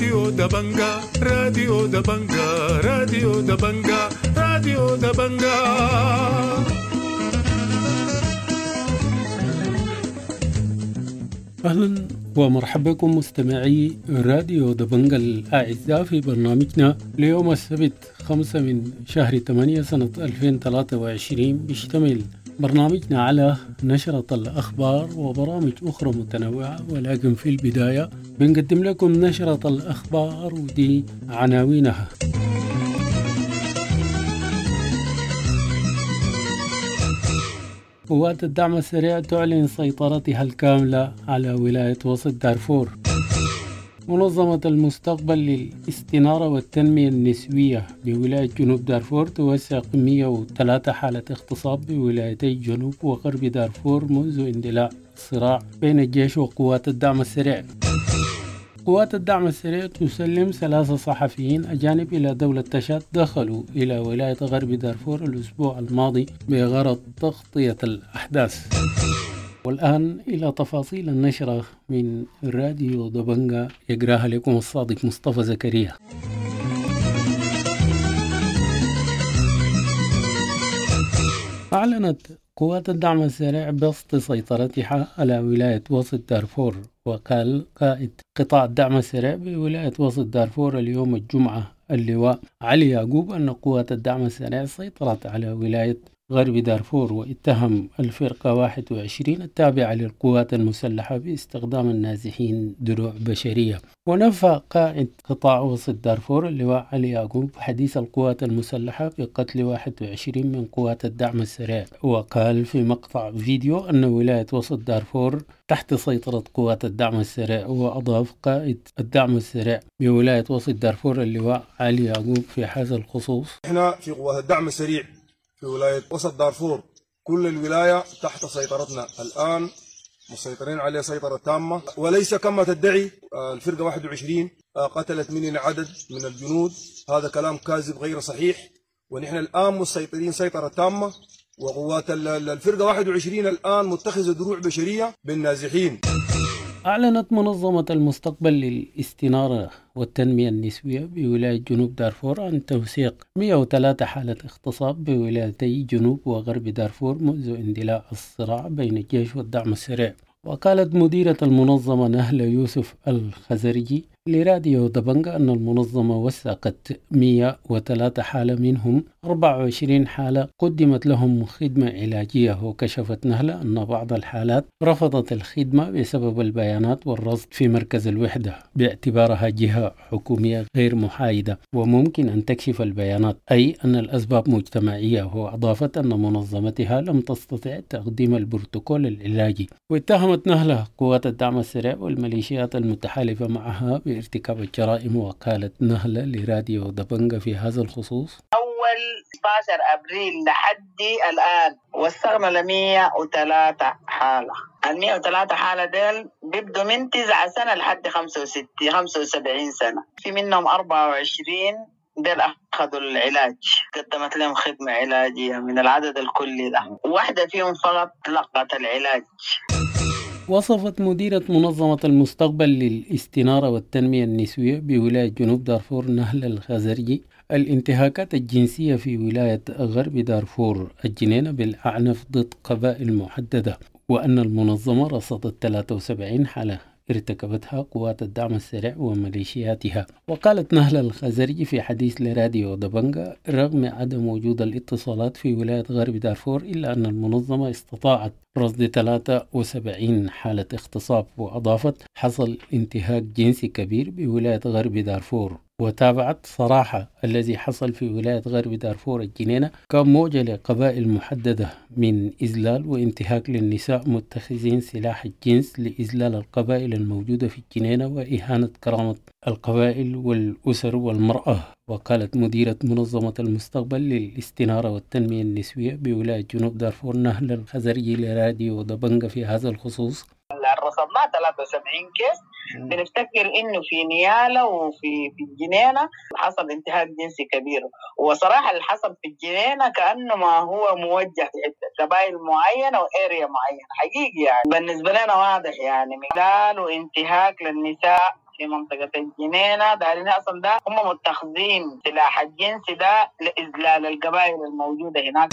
راديو دبنجا، راديو دبنجا، راديو دبنجا، راديو دبنجا. أهلا ومرحبا بكم مستمعي راديو دبنجا الأعزاء في برنامجنا ليوم السبت 5 من شهر 8 سنة 2023. بيشتمل برنامجنا على نشرة الأخبار وبرامج أخرى متنوعة، ولكن في البداية بنقدم لكم نشرة الأخبار ودي عناوينها. قوات الدعم السريع تعلن سيطرتها الكاملة على ولاية وسط دارفور. منظمة المستقبل للاستنارة والتنمية النسوية بولاية جنوب دارفور توثق 103 حالة اغتصاب بولايتي جنوب وغرب دارفور منذ اندلاع الصراع بين الجيش وقوات الدعم السريع. قوات الدعم السريع تسلم 3 صحفيين أجانب إلى دولة تشاد دخلوا إلى ولاية غرب دارفور الأسبوع الماضي بغرض تغطية الأحداث. والآن إلى تفاصيل النشرة من راديو دبنجا يقراها لكم الصادق مصطفى زكريا. أعلنت قوات الدعم السريع بسط سيطرتها على ولاية وسط دارفور، وقال قائد قطاع الدعم السريع بولاية وسط دارفور اليوم الجمعة اللواء علي يعقوب أن قوات الدعم السريع سيطرت على ولاية غرب دارفور، واتهم الفرقة 21 التابعة للقوات المسلحة باستخدام النازحين دروع بشرية. ونفى قائد قطاع وسط دارفور اللواء علي يعقوب حديث القوات المسلحة بقتل 21 من قوات الدعم السريع، وقال في مقطع فيديو أن ولاية وسط دارفور تحت سيطرة قوات الدعم السريع. وأضاف قائد الدعم السريع بولاية وسط دارفور اللواء علي يعقوب في هذا الخصوص: احنا في قوات الدعم السريع في ولاية وسط دارفور كل الولاية تحت سيطرتنا الآن، مسيطرين عليها سيطرة تامة، وليس كما تدعي الفرقة 21 قتلت مننا عدد من الجنود، هذا كلام كاذب غير صحيح، ونحن الآن مسيطرين سيطرة تامة، وقوات الفرقة 21 الآن متخذة دروع بشرية بالنازحين. أعلنت منظمة المستقبل للاستنارة والتنمية النسوية بولاية جنوب دارفور عن توثيق 103 حالة اغتصاب بولايتي جنوب وغرب دارفور منذ اندلاع الصراع بين الجيش والدعم السريع. وقالت مديرة المنظمة نهلة يوسف الخزرجي لراديو دبنجا أن المنظمة وثقت 103 حالة، منهم 24 حالة قدمت لهم خدمة علاجية. وكشفت نهلة أن بعض الحالات رفضت الخدمة بسبب البيانات والرصد في مركز الوحدة باعتبارها جهة حكومية غير محايدة وممكن أن تكشف البيانات، أي أن الأسباب مجتمعية. وأضافت أن منظمتها لم تستطع تقديم البروتوكول العلاجي. واتهمت نهلة قوات الدعم السريع والميليشيات المتحالفة معها بارتكاب الجرائم. وقالت نهلة لراديو دبنجا في هذا الخصوص: أول 16 أبريل لحد الآن وثقنا 103 حالة. 103 حالة ديل بيبدوا من 9 سنة لحد 75 سنة، في منهم 24 ديل أخذوا العلاج، قدمت لهم خدمة علاجية من العدد الكلي ده، واحدة فيهم فقط لقت العلاج. وصفت مديرة منظمة المستقبل للاستنارة والتنمية النسوية بولاية جنوب دارفور نهلة الخزرجي الانتهاكات الجنسية في ولاية غرب دارفور الجنينة بالأعنف ضد قبائل محددة، وأن المنظمة رصدت 73 حالة ارتكبتها قوات الدعم السريع وميليشياتها. وقالت نهلة الخزرجي في حديث لراديو دبنجا رغم عدم وجود الاتصالات في ولاية غرب دارفور إلا أن المنظمة استطاعت رصد 73 حالة اغتصاب. وأضافت حصل انتهاك جنسي كبير بولاية غرب دارفور. وتابعت صراحة الذي حصل في ولاية غرب دارفور الجنينة كان موجة لقبائل محددة من إذلال وانتهاك للنساء متخذين سلاح الجنس لإذلال القبائل الموجودة في الجنينة وإهانة كرامة القبائل والأسر والمرأة. وقالت مديرة منظمة المستقبل للاستنارة والتنمية النسوية بولاية جنوب دارفور نهلة الخزرجي لراديو دبنجا في هذا الخصوص: رصدناه 73 case، بنفتكر انه في نياله وفي الجنينه حصل انتهاك جنسي كبير. وصراحه اللي حصل في الجنينه كانه ما هو موجه لقبائل معينه و area معينه حقيقي، يعني بالنسبه لنا واضح يعني مثال وانتهاك للنساء في منطقة الجنينة. دارين أصلا ده هم متخذين سلاح الجنس ده لإذلال القبائل الموجودة هناك.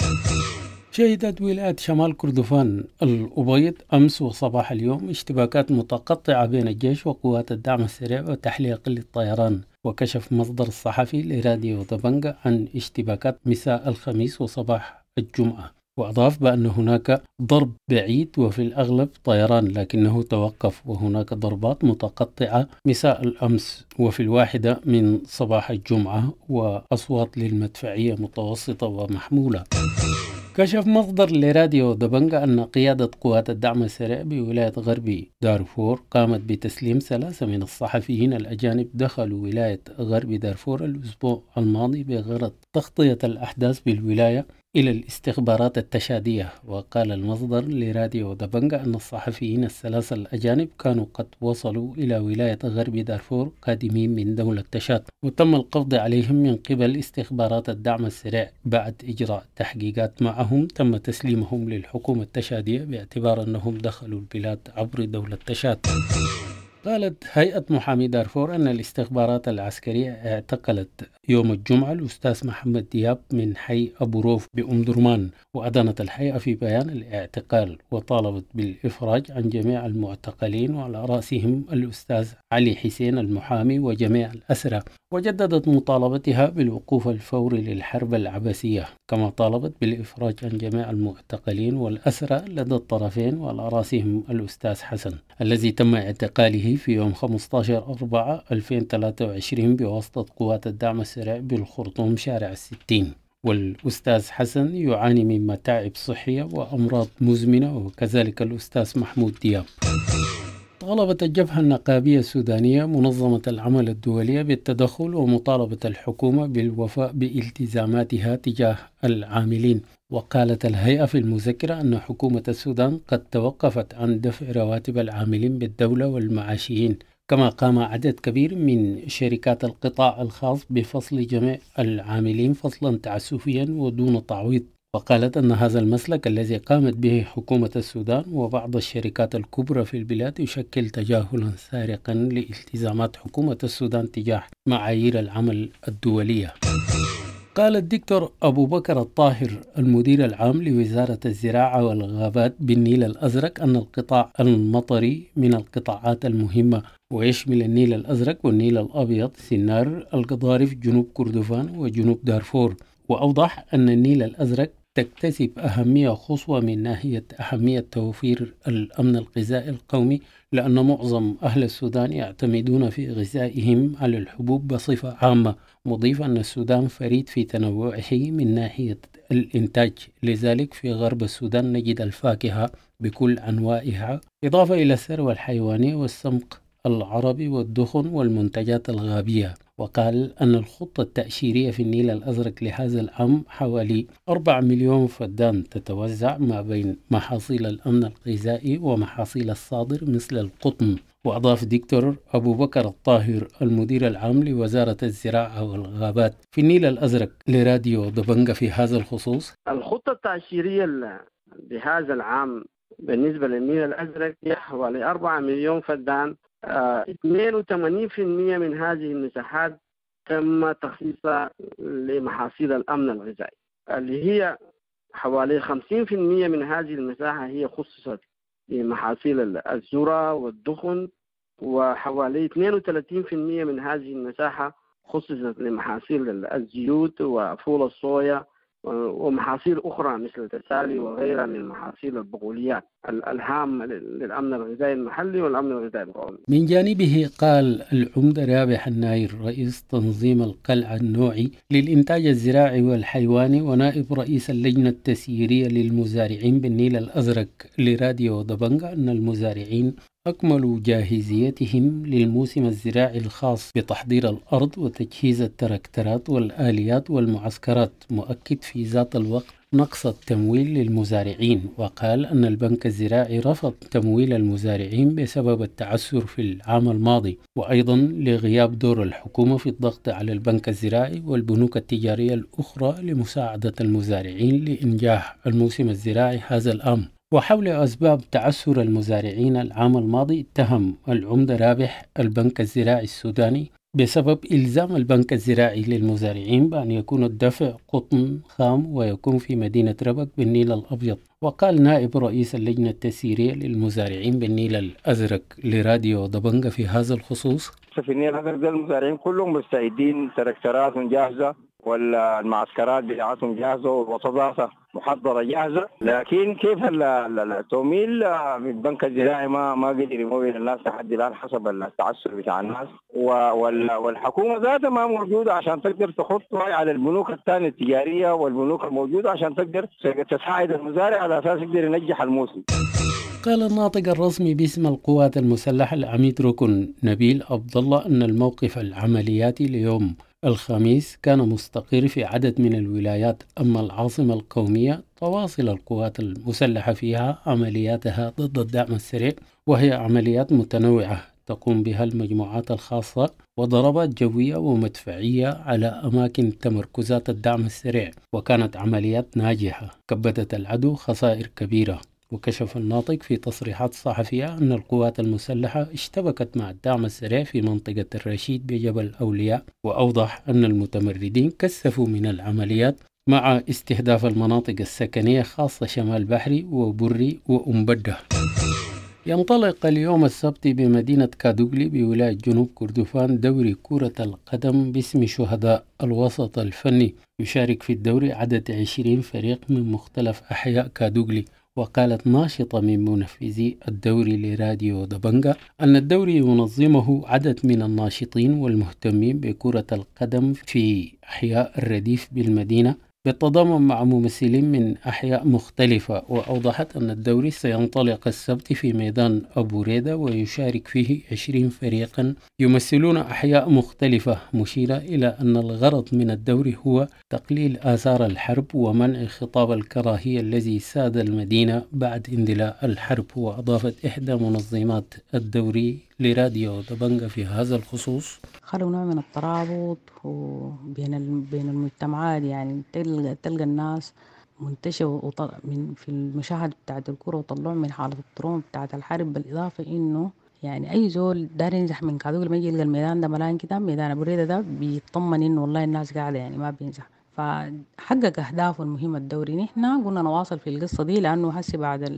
شهدت ولاية شمال كردفان الأبيض أمس وصباح اليوم اشتباكات متقطعة بين الجيش وقوات الدعم السريع وتحليق للطيران. وكشف مصدر الصحفي لراديو دبنجا عن اشتباكات مساء الخميس وصباح الجمعة، وأضاف بأن هناك ضرب بعيد وفي الأغلب طيران لكنه توقف، وهناك ضربات متقطعة مساء الأمس وفي 1 من صباح الجمعة، وأصوات للمدفعية متوسطة ومحمولة. كشف مصدر لراديو دبنجا أن قيادة قوات الدعم السريع بولاية غرب دارفور قامت بتسليم 3 من الصحفيين الأجانب دخلوا ولاية غرب دارفور الأسبوع الماضي بغرض تغطية الأحداث بالولاية إلى الاستخبارات التشادية. وقال المصدر لراديو دبنجا أن الصحفيين ال3 الأجانب كانوا قد وصلوا إلى ولاية غرب دارفور قادمين من دولة تشاد، وتم القبض عليهم من قبل استخبارات الدعم السريع. بعد إجراء تحقيقات معهم تم تسليمهم للحكومة التشادية باعتبار أنهم دخلوا البلاد عبر دولة تشاد. قالت هيئة محامي دارفور أن الاستخبارات العسكرية اعتقلت يوم الجمعة الأستاذ محمد دياب من حي أبو روف بأم درمان، وأدانت الهيئة في بيان الاعتقال وطالبت بالإفراج عن جميع المعتقلين وعلى رأسهم الأستاذ علي حسين المحامي وجميع الأسرى، وجددت مطالبتها بالوقوف الفوري للحرب العبثية، كما طالبت بالإفراج عن جميع المعتقلين والأسرى لدى الطرفين وعلى رأسهم الأستاذ حسن الذي تم اعتقاله في يوم 15/4/2023 بواسطة قوات الدعم السريع بالخرطوم شارع 60. والأستاذ حسن يعاني من متاعب صحية وأمراض مزمنة، وكذلك الأستاذ محمود دياب. طالبت الجبهة النقابية السودانية منظمة العمل الدولية بالتدخل ومطالبة الحكومة بالوفاء بالتزاماتها تجاه العاملين. وقالت الهيئة في المذكرة أن حكومة السودان قد توقفت عن دفع رواتب العاملين بالدولة والمعاشيين، كما قام عدد كبير من شركات القطاع الخاص بفصل جميع العاملين فصلا تعسفيا ودون تعويض. وقالت أن هذا المسلك الذي قامت به حكومة السودان وبعض الشركات الكبرى في البلاد يشكل تجاهلا سارقا لالتزامات حكومة السودان تجاه معايير العمل الدولية. قال الدكتور أبو بكر الطاهر المدير العام لوزارة الزراعة والغابات بالنيل الأزرق أن القطاع المطري من القطاعات المهمة ويشمل النيل الأزرق والنيل الأبيض، سنار، القضارف، جنوب كردفان وجنوب دارفور. وأوضح أن النيل الأزرق تكتسب أهمية خصوة من ناحية أهمية توفير الأمن الغذائي القومي، لأن معظم أهل السودان يعتمدون في غذائهم على الحبوب بصفة عامة، مضيف أن السودان فريد في تنوعه من ناحية الإنتاج، لذلك في غرب السودان نجد الفاكهة بكل أنواعها، إضافة إلى الثروة الحيوانية والسمق العربي والدخن والمنتجات الغابية. وقال أن الخطة التأشيرية في النيل الأزرق لهذا العام حوالي 4 مليون فدان تتوزع ما بين محاصيل الأمن الغذائي ومحاصيل الصادر مثل القطن. وأضاف دكتور أبو بكر الطاهر المدير العام لوزارة الزراعة والغابات في النيل الأزرق لراديو دبنجة في هذا الخصوص: الخطة التأشيرية لهذا العام بالنسبة للنيل الأزرق هي حوالي 4 مليون فدان. 82% من هذه المساحات تم تخصيصها لمحاصيل الأمن الغذائي، اللي هي حوالي 50% من هذه المساحة هي خصصت لمحاصيل الذرة والدخن، وحوالي 32% من هذه المساحة خصصت لمحاصيل الزيوت وفول الصويا ومحاصيل أخرى مثل التسالي وغيرها من محاصيل البقوليات الهامة للأمن الغذائي المحلي والأمن الغذائي القومي. من جانبه قال العمدة رابح الناير رئيس تنظيم القلعة النوعي للإنتاج الزراعي والحيواني ونائب رئيس اللجنة التسييرية للمزارعين بالنيل الأزرق لراديو دبنجة أن المزارعين أكملوا جاهزيتهم للموسم الزراعي الخاص بتحضير الأرض وتجهيز التراكترات والآليات والمعسكرات، مؤكد في ذات الوقت نقص التمويل للمزارعين. وقال أن البنك الزراعي رفض تمويل المزارعين بسبب التعثر في العام الماضي، وأيضا لغياب دور الحكومة في الضغط على البنك الزراعي والبنوك التجارية الأخرى لمساعدة المزارعين لإنجاح الموسم الزراعي هذا العام. وحول أسباب تعثر المزارعين العام الماضي، اتهم العمدة رابح البنك الزراعي السوداني بسبب إلزام البنك الزراعي للمزارعين بأن يكون الدفع قطن خام ويكون في مدينة ربك بالنيل الأبيض. وقال نائب رئيس اللجنة التسييرية للمزارعين بالنيل الأزرق لراديو دبنجة في هذا الخصوص: في النيل الأزرق المزارعين كلهم مستعدين، تراكتراتهم جاهزة والمعسكرات بتاعتهم جاهزة والوسطات محضرة جاهزة، لكن كيف التمويل من البنك الزراعي ما قدر يمول الناس لحد الآن حسب التعثر بتاع الناس، والحكومة ذاتها ما موجودة عشان تقدر تحط على البنوك الثانية التجارية والبنوك الموجودة عشان تقدر تساعد المزارع على أساس يقدر ينجح الموسم. قال الناطق الرسمي باسم القوات المسلحة العميد ركن نبيل عبد الله أن الموقف العملياتي ليوم الخميس كان مستقر في عدد من الولايات، أما العاصمة القومية تواصل القوات المسلحة فيها عملياتها ضد الدعم السريع، وهي عمليات متنوعة تقوم بها المجموعات الخاصة وضربات جوية ومدفعية على أماكن تمركزات الدعم السريع، وكانت عمليات ناجحة كبدت العدو خسائر كبيرة. وكشف الناطق في تصريحات صحفية أن القوات المسلحة اشتبكت مع الدعم السريع في منطقة الرشيد بجبل أولياء، وأوضح أن المتمردين كثفوا من العمليات مع استهداف المناطق السكنية خاصة شمال بحري وبري وأمبدة. ينطلق اليوم السبت بمدينة كادوغلي بولاية جنوب كردفان دوري كرة القدم باسم شهداء الوسط الفني. يشارك في الدوري عدد 20 فريق من مختلف أحياء كادوغلي. وقالت ناشطة من منفذي الدوري لراديو دبنجا أن الدوري ينظمه عدد من الناشطين والمهتمين بكرة القدم في أحياء الرديف بالمدينة بالتضامن مع ممثلين من أحياء مختلفة. وأوضحت أن الدوري سينطلق السبت في ميدان أبو ريدة ويشارك فيه 20 فريقا يمثلون أحياء مختلفة، مشيرة إلى أن الغرض من الدوري هو تقليل آثار الحرب ومنع خطاب الكراهية الذي ساد المدينة بعد اندلاع الحرب. وأضافت إحدى منظمات الدوري لراديو دبنجا في هذا الخصوص: خلوا نوع من الترابط وبين بين المجتمعات، يعني تلقى الناس منتشرة من في المشاهد بتاعت الكرة وطلعوا من حالة ال trauma بتاعت الحرب. بالإضافة إنه يعني أي زول دار ينزح من كادوقلي لما يجي يلقى الميدان ده ملان كده، ميدان أبو ريدة ده بيطمن إنه والله الناس قاعدة يعني ما بينزح، فحقق أهدافه المهمة الدوري. نحن قلنا نواصل في القصة دي لأنه هسي بعد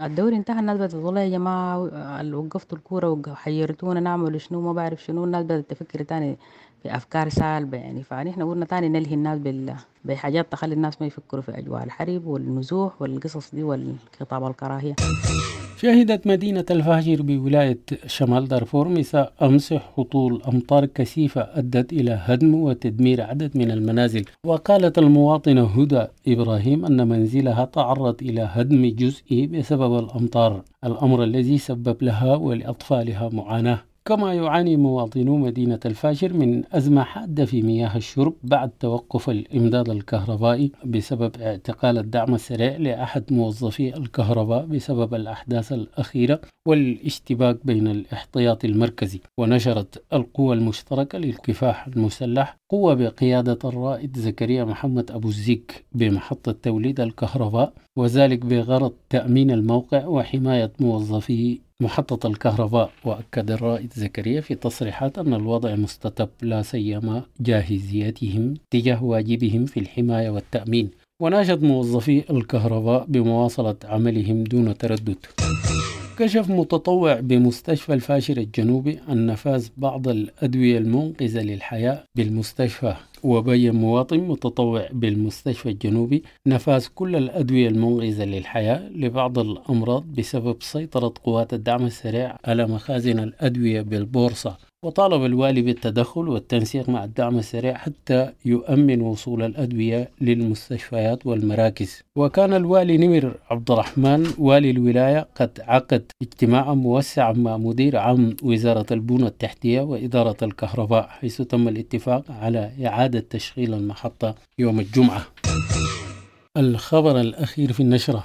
الدوري انتهى الناس بدأت والله يا جماعة وقفتوا الكورة وحيرتونا نعمل شنو ما بعرف شنو، الناس بدأت تفكر تاني في أفكار سالبة يعني. فنحن قلنا تاني نلهي الناس بحاجات تخلي الناس ما يفكروا في أجواء الحرب والنزوح والقصص دي والخطاب الكراهية. شهدت مدينة الفاجر بولاية شمال دارفور مساء أمس هطول أمطار كثيفة أدت إلى هدم وتدمير عدد من المنازل. وقالت المواطنة هدى إبراهيم أن منزلها تعرض إلى هدم جزئي بسبب الأمطار، الأمر الذي سبب لها ولأطفالها معاناة. كما يعاني مواطنو مدينة الفاشر من أزمة حادة في مياه الشرب بعد توقف الإمداد الكهربائي بسبب اعتقال الدعم السريع لأحد موظفي الكهرباء بسبب الأحداث الأخيرة والاشتباك بين الاحتياط المركزي. ونشرت القوى المشتركة للكفاح المسلح قوة بقيادة الرائد زكريا محمد أبو الزيك بمحطة توليد الكهرباء، وذلك بغرض تأمين الموقع وحماية موظفي محطة الكهرباء. وأكد الرائد زكريا في تصريحات أن الوضع مستتب لا سيما جاهزيتهم تجاه واجبهم في الحماية والتأمين، وناشد موظفي الكهرباء بمواصلة عملهم دون تردد. كشف متطوع بمستشفى الفاشر الجنوبي عن نفاذ بعض الأدوية المنقذة للحياة بالمستشفى. وبين مواطن متطوع بالمستشفى الجنوبي نفاذ كل الأدوية المنقذة للحياة لبعض الأمراض بسبب سيطرة قوات الدعم السريع على مخازن الأدوية بالبورصة. وطالب الوالي بالتدخل والتنسيق مع الدعم السريع حتى يؤمن وصول الأدوية للمستشفيات والمراكز. وكان الوالي نمر عبد الرحمن والي الولاية قد عقد اجتماعا موسعا مع مدير عام وزارة البنى التحتية وإدارة الكهرباء، حيث تم الاتفاق على إعادة تشغيل المحطة يوم الجمعة. الخبر الأخير في النشرة: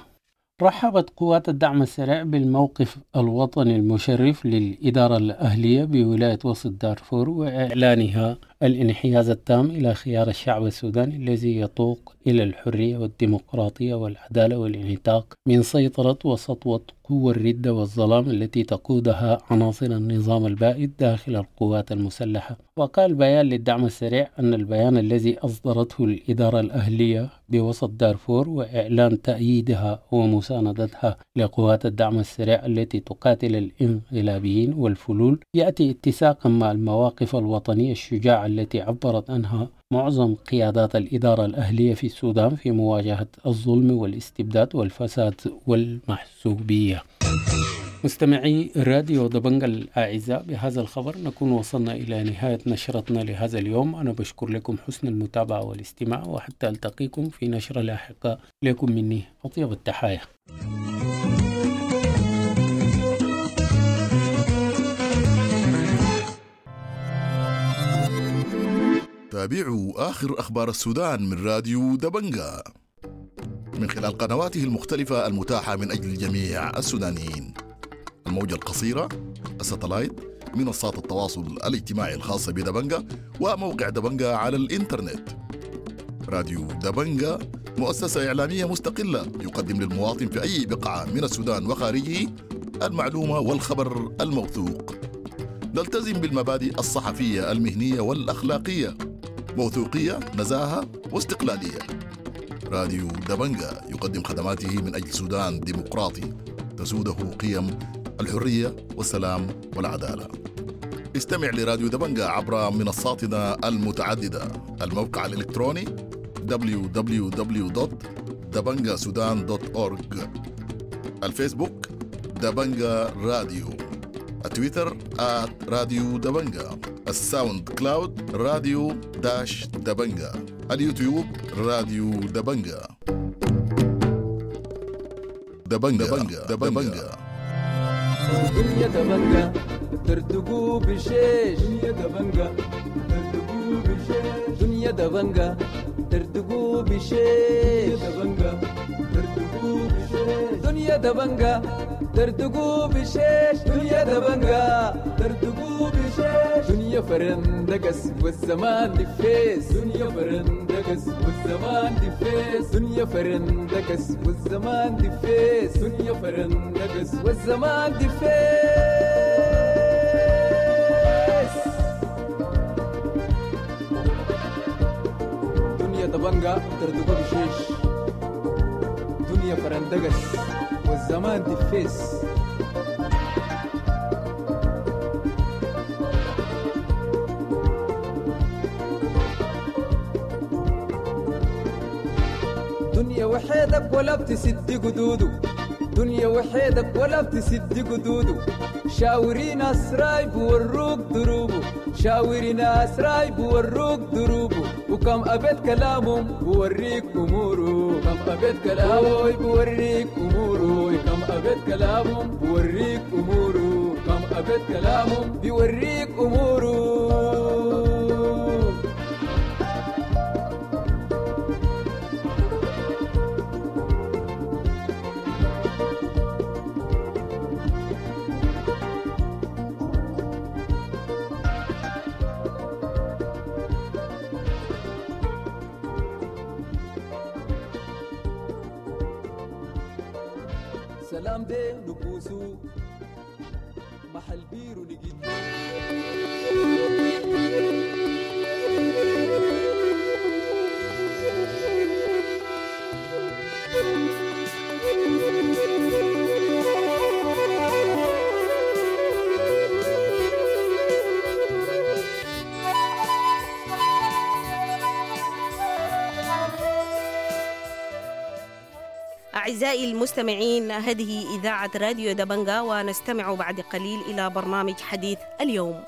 رحبت قوات الدعم السريع بالموقف الوطني المشرف للإدارة الأهلية بولاية وسط دارفور وإعلانها الانحياز التام إلى خيار الشعب السوداني الذي يتوق إلى الحرية والديمقراطية والعدالة والانعتاق من سيطرة وسطوة قوى الردة والظلام التي تقودها عناصر النظام البائد داخل القوات المسلحة. وقال بيان للدعم السريع أن البيان الذي أصدرته الإدارة الأهلية بوسط دارفور وإعلان تأييدها ومساندتها لقوات الدعم السريع التي تقاتل الانقلابيين والفلول يأتي اتساقا مع المواقف الوطنية الشجاعة التي عبرت عنها معظم قيادات الإدارة الأهلية في السودان في مواجهة الظلم والاستبداد والفساد والمحسوبية. مستمعي راديو دبنجا الأعزاء، بهذا الخبر نكون وصلنا إلى نهاية نشرتنا لهذا اليوم. أنا بشكر لكم حسن المتابعة والاستماع، وحتى ألتقيكم في نشرة لاحقة. لكم مني أطيب التحايا. تابعوا آخر أخبار السودان من راديو دبنجا من خلال قنواته المختلفة المتاحة من أجل جميع السودانيين: الموجة القصيرة، الستلايت، منصات التواصل الاجتماعي الخاصة بدبنجا، وموقع دبنجا على الإنترنت. راديو دبنجا مؤسسة إعلامية مستقلة يقدم للمواطن في أي بقعة من السودان وخارجه المعلومة والخبر الموثوق. نلتزم بالمبادئ الصحفية المهنية والأخلاقية، موثوقية، نزاهة واستقلالية. راديو دبنجا يقدم خدماته من أجل سودان ديمقراطي تسوده قيم الحرية والسلام والعدالة. استمع لراديو دبنجا عبر منصاتنا المتعددة: الموقع الإلكتروني www.dabangasudan.org، الفيسبوك دبنجا راديو، التويتر @راديو دبنجا، الساوند كلاود راديو dash دبنجا، اليوتيوب راديو دبنجا. دبنجا دبنجا دبنجا. دنيا دبنجا ترتقو بشيش، دنيا دبنجا ترتقو بشيش، دنيا دبنجا ترتقو بشيش، دبنجا ترتقو بشيش، دنيا دبنجا ترتقو بشيش، دنيا دبنجا ترتقو بشيش، دنيا فرندقس والزمان دفيس، دنيا فرندقس والزمان دفيس، دنيا فرندقس والزمان دفيس، دنيا فرندقس والزمان دفيس. دنيا دبنجا ترتقو بشيش، دنيا فرندقس والزمان دفيس. دنيا وحيدك ولا بتسد قدوده، دنيا وحيدك ولا بتسد قدوده، شاوري ناس رايب وروك دروبه، شاوري ناس رايب وروك دروبه، وكم أبيت كلامهم بوريك أموره، كم أبيت كلامه بوريك أموره، كم أبيت كلامهم بوريك أموره، كم أبيت كلامهم بيوريك أموره. سلام دي نبوسو محل بيرو نجد. أعزائي المستمعين، هذه إذاعة راديو دبنجا، ونستمع بعد قليل إلى برنامج حديث اليوم.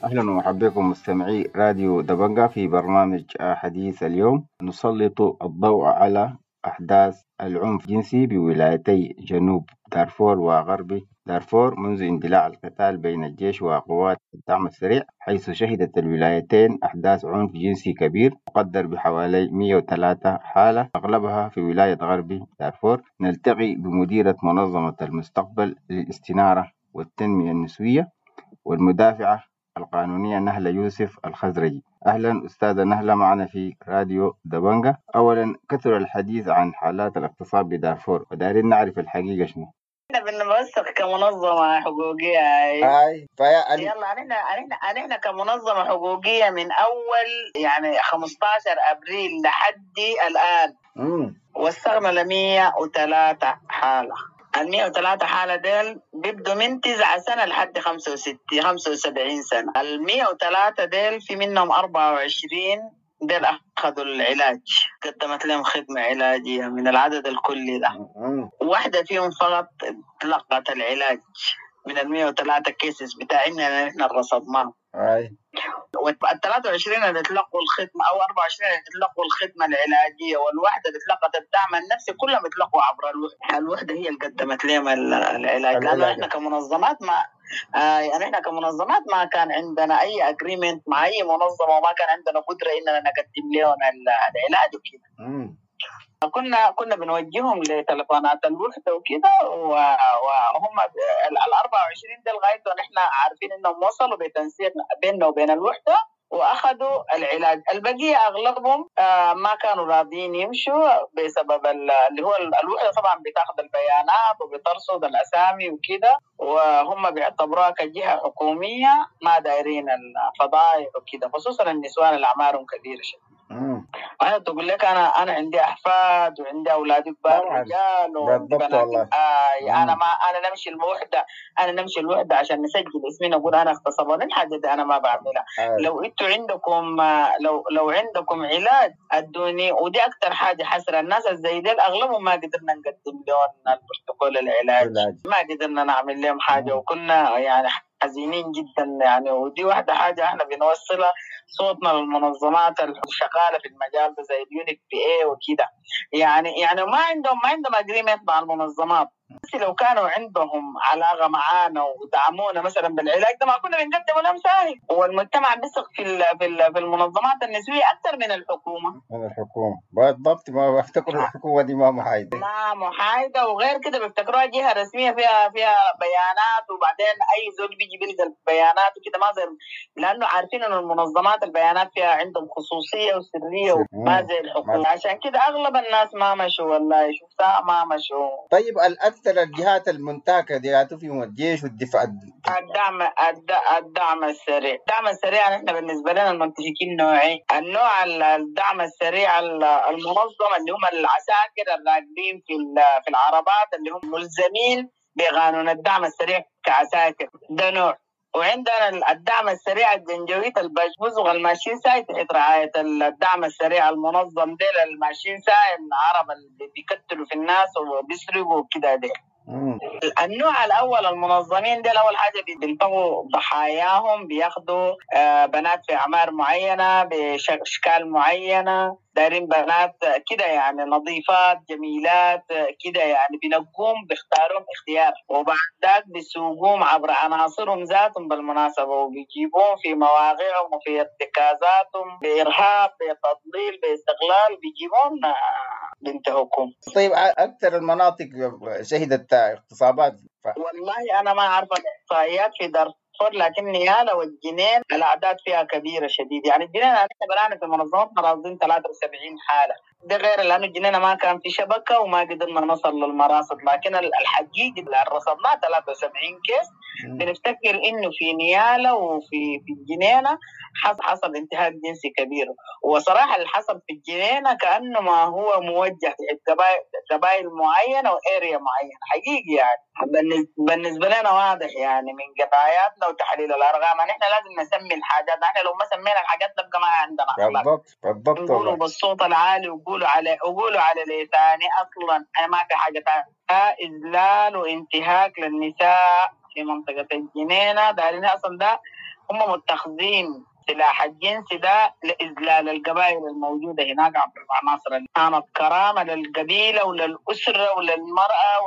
أهلا ومرحبا بكم مستمعي راديو دبنجا في برنامج حديث اليوم. نسلط الضوء على أحداث العنف الجنسي بولايتي جنوب دارفور وغرب دارفور منذ اندلاع القتال بين الجيش وقوات الدعم السريع، حيث شهدت الولايتين أحداث عنف جنسي كبير تقدر بحوالي 103 حالة، أغلبها في ولاية غرب دارفور. نلتقي بمديرة منظمة المستقبل للاستنارة والتنمية النسوية والمدافعة القانونية نهلة يوسف الخزرجي. أهلا أستاذة نهلة معنا في راديو دبنجة. أولا، كثر الحديث عن حالات الاغتصاب بدارفور، ودارين نعرف الحقيقة شنو؟ احنا بنوثق كمنظمة حقوقية. هاي فيا يلا، نحن كمنظمة حقوقية من أول يعني 15 أبريل لحد الآن وثقنا ل 103 حالة. ال 103 حالة ديل بيبدوا من 9 سنة لحد 65 75 سنة. ال 103 ديل في منهم 24 ديل أخذوا العلاج، قدمت لهم خدمة علاجية من العدد الكلي ده. واحدة فيهم فقط تلقت العلاج من ال 103 cases بتاعنا نحن رصدناهم. وال 23 اللي تلقوا الخدمة أو 24 اللي تلقوا الخدمة العلاجية والواحدة اللي تلقت الدعم النفسي، كلهم تلقوا عبر الوحدة. الوحدة هي اللي قدمت لهم العلاج، لأنه احنا كمنظمات ما يعني احنا كمنظمات ما كان عندنا أي agreement مع أي منظمة، وما كان عندنا قدرة إننا نقدم لهم العلاج وكده. كنا بنوجههم لتلفونات الوحدة وكده، وهم ال 24 ده لغاية ونحن عارفين انهم وصلوا بتنسيق بيننا وبين الوحدة واخذوا العلاج. البقية اغلبهم ما كانوا راضيين يمشوا بسبب اللي هو الوحدة طبعا بتاخذ البيانات وبترصد الاسامي وكده، وهم بيعتبروها كجهة حكومية ما دايرين الفضائح وكده، خصوصا النسوان اللي اعمارهم كبيرة شديد. أنا تقول لك أنا عندي أحفاد وعندي أولاد كبار رجال بالضبط والله. أنا ما أنا نمشي الوحدة، أنا نمشي الوحدة عشان نسجل اسمي نقول أنا اغتصبوني، الحاجة دي أنا ما بعملها. لو أنتوا عندكم لو عندكم علاج أدوني. ودي أكتر حاجة حسرة، الناس زي ديل أغلبهم ما قدرنا نقدم لهم البروتوكول العلاج، ما قدرنا نعمل لهم حاجة، وكنا يعني حزينين جدا يعني. ودي واحدة حاجة احنا بنوصلها صوتنا للمنظمات الشغالة في المجال ده زي ال UNFPA وكده، يعني ما عندهم agreement مع المنظمات. بس لو كانوا عندهم علاقة معانا ودعمونا مثلا بالعلاج ده ما كنا بنقدمه لهم ساهل. والمجتمع بيثق في المنظمات النسوية أكثر من الحكومة. من الحكومة بالضبط، ما بفتكروا الحكومة دي ما محايدة، ما محايدة، وغير كده بيفتكروها جهة رسمية فيها بيانات، وبعدين أي زول بيجي بيلقى البيانات وكده، ما زي لأنه عارفين إنه المنظمات البيانات فيها عندهم خصوصية وسرية وما زي الحكومة. عشان كده أغلب الناس ما مشوا، والله شفتها ما مشوا. طيب الأكثر الجهات المنتهكة دي فيهم الجيش والدفاع، الدعم السريع. الدعم السريع نحن بالنسبة لنا المنتهكين نوعين، النوع الدعم السريع المنظم اللي هم العساكر الراكبين في العربات اللي هم ملزمين بقانون الدعم السريع كعساكر، ده نوع. وعندنا الدعم السريع الجنجويت البشبوز الماشيين ساي تحت رعاية الدعم السريع المنظم، ديل الماشيين ساي العرب اللي بيقتلوا في الناس وبيسرقوا وكده. ديل النوع الأول المنظمين ديل أول حاجة بينطقوا ضحاياهم، بياخدوا بنات في أعمار معينة بأشكال معينة، دايرين بنات كده يعني نظيفات جميلات كده يعني، بينقوم بيختارهم اختيار، وبعد ذاك بيسوقوهم عبر عناصرهم ذاتهم بالمناسبة، وبيجيبوهم في مواقعهم وفي ارتكازاتهم بإرهاب بتضليل باستغلال، بيجيبوهم بينتهكم. طيب أكثر المناطق شهدت اغتصابات؟ والله أنا ما أعرف الإحصائيات في دارفور، لكن نيالا والجنين الأعداد فيها كبيرة شديد. يعني الجنين أنا برانا في منظمات راصدين 73 حالة، ده غير لأنه الجنينة ما كان في شبكة وما قدرنا نصل للمراصد، لكن الحقيقي اللي رصدناه 73 case. بنفتكر إنه في نيالا وفي في الجنينة حصل انتهاك جنسي كبير، وصراحة اللي حصل في الجنينة كأنه ما هو موجه قبائل معينة و area معينة حقيقي يعني. بالنسبة لنا واضح يعني من قضاياتنا وتحليل الأرقام نحن لازم نسمي الحاجات، نحن لو ما سمينا الحاجات نبقى ما عندنا أخلاق. بالضبط بالضبط، نقولوا بالصوت العالي وقولوا على لساني أصلا أنا ما في حاجة ثانية. إذلال وانتهاك للنساء في منطقة الجنينة دارين أصلا ده هم متخذين السلاح الجنسي ده لإذلال القبائل الموجودة هناك عبر العناصر. كانت كرامة للقبيلة وللأسرة وللمرأة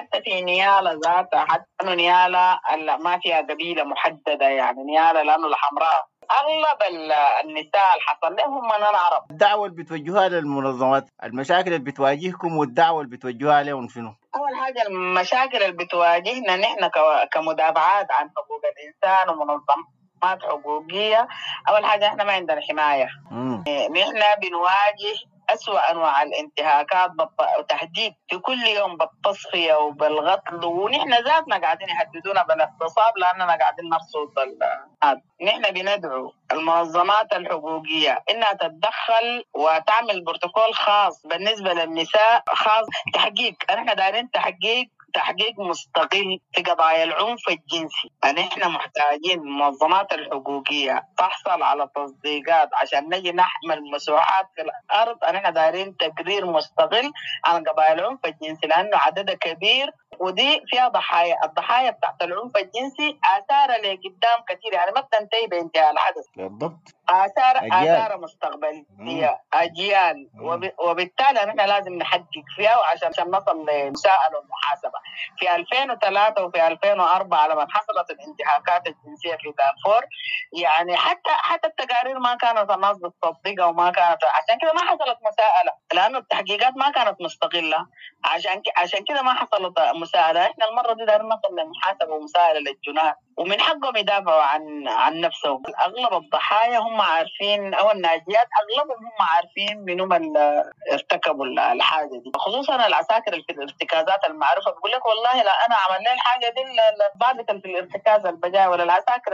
حتى في نيالا ذاتها، حتى إنه نيالا ما فيها قبيلة محددة، يعني نيالا لأنه الحمراء أغلب النساء اللي حصل لهم من العرب. الدعوة اللي بتوجهوها للمنظمات، المشاكل اللي بتواجهكم والدعوة اللي بتوجهوها لهم شنو؟ أول حاجة المشاكل اللي بتواجهنا نحن كمدافعات عن حقوق الإنسان ومنظمات حقوقية، أول حاجة إحنا ما عندنا حماية. نحن بنواجه أسوأ أنواع الانتهاكات وتهديد في كل يوم بالتصفية وبالقتل، ونحن ذاتنا قاعدين يهددونا بالاغتصاب لأننا قاعدين نرصد. نحن بندعو المنظمات الحقوقية إنها تتدخل وتعمل بروتوكول خاص بالنسبة للنساء، خاص تحقيق. نحن دايرين تحقيق مستقل في قضايا العنف الجنسي. نحن محتاجين المنظمات الحقوقية تحصل على تصديقات عشان نجي نحمل مساحات في الأرض. نحن دايرين تقرير مستقل عن قضايا العنف الجنسي لأنه عددها كبير، ودي فيها ضحايا. الضحايا بتاعت العنف الجنسي آثارها لقدام كثير، يعني ما بتنتهي بانتهاء الحدث. بالضبط، آثار مستقبلية، أجيال. وبالتالي نحن لازم نحقق فيها وعشان نصل لمساءلة ومحاسبة. في 2003 وفي 2004 لما حصلت الانتهاكات الجنسية في دارفور، يعني حتى التقارير ما كانت الناس بتصدقها، وما كانت، عشان كده ما حصلت مساءلة لأنه التحقيقات ما كانت مستقلة، عشان كده ما حصلت مساءلة. إحنا المرة دي دارين نصل لمحاسبة ومساءلة للجنات، ومن حقهم يدافعوا عن نفسهم. أغلب الضحايا هم عارفين، أو الناجيات أغلبهم هم عارفين منهم اللي ارتكبوا الحاجة دي، خصوصا العساكر في الارتكازات المعروفة. بيقول لك والله لا أنا عملنا الحاجة دي الضابط في الارتكاز البجاي، ولا العساكر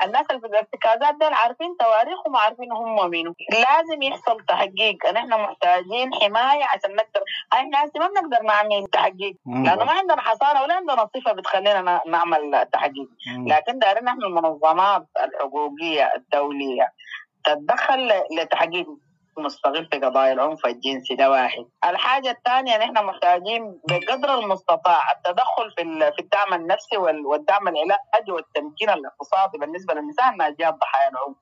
الناس اللي في الارتكازات دول عارفين تواريخهم وعارفين هم مين. لازم يحصل تحقيق. نحن محتاجين حماية عشان نقدر، احنا ما بنقدر نعمل تحقيق لأنه ما عندنا حصانة ولا عندنا صفة بتخلينا نعمل تحقيق. لكن دارين نحن المنظمات الحقوقية الدولية تتدخل لتحقيق مستقل في قضايا العنف الجنسي. ده واحد. الحاجة الثانية نحن محتاجين بقدر المستطاع التدخل في الدعم النفسي والدعم العلاجي والتمكين الاقتصادي بالنسبة للنساء الناجيات ضحايا العنف.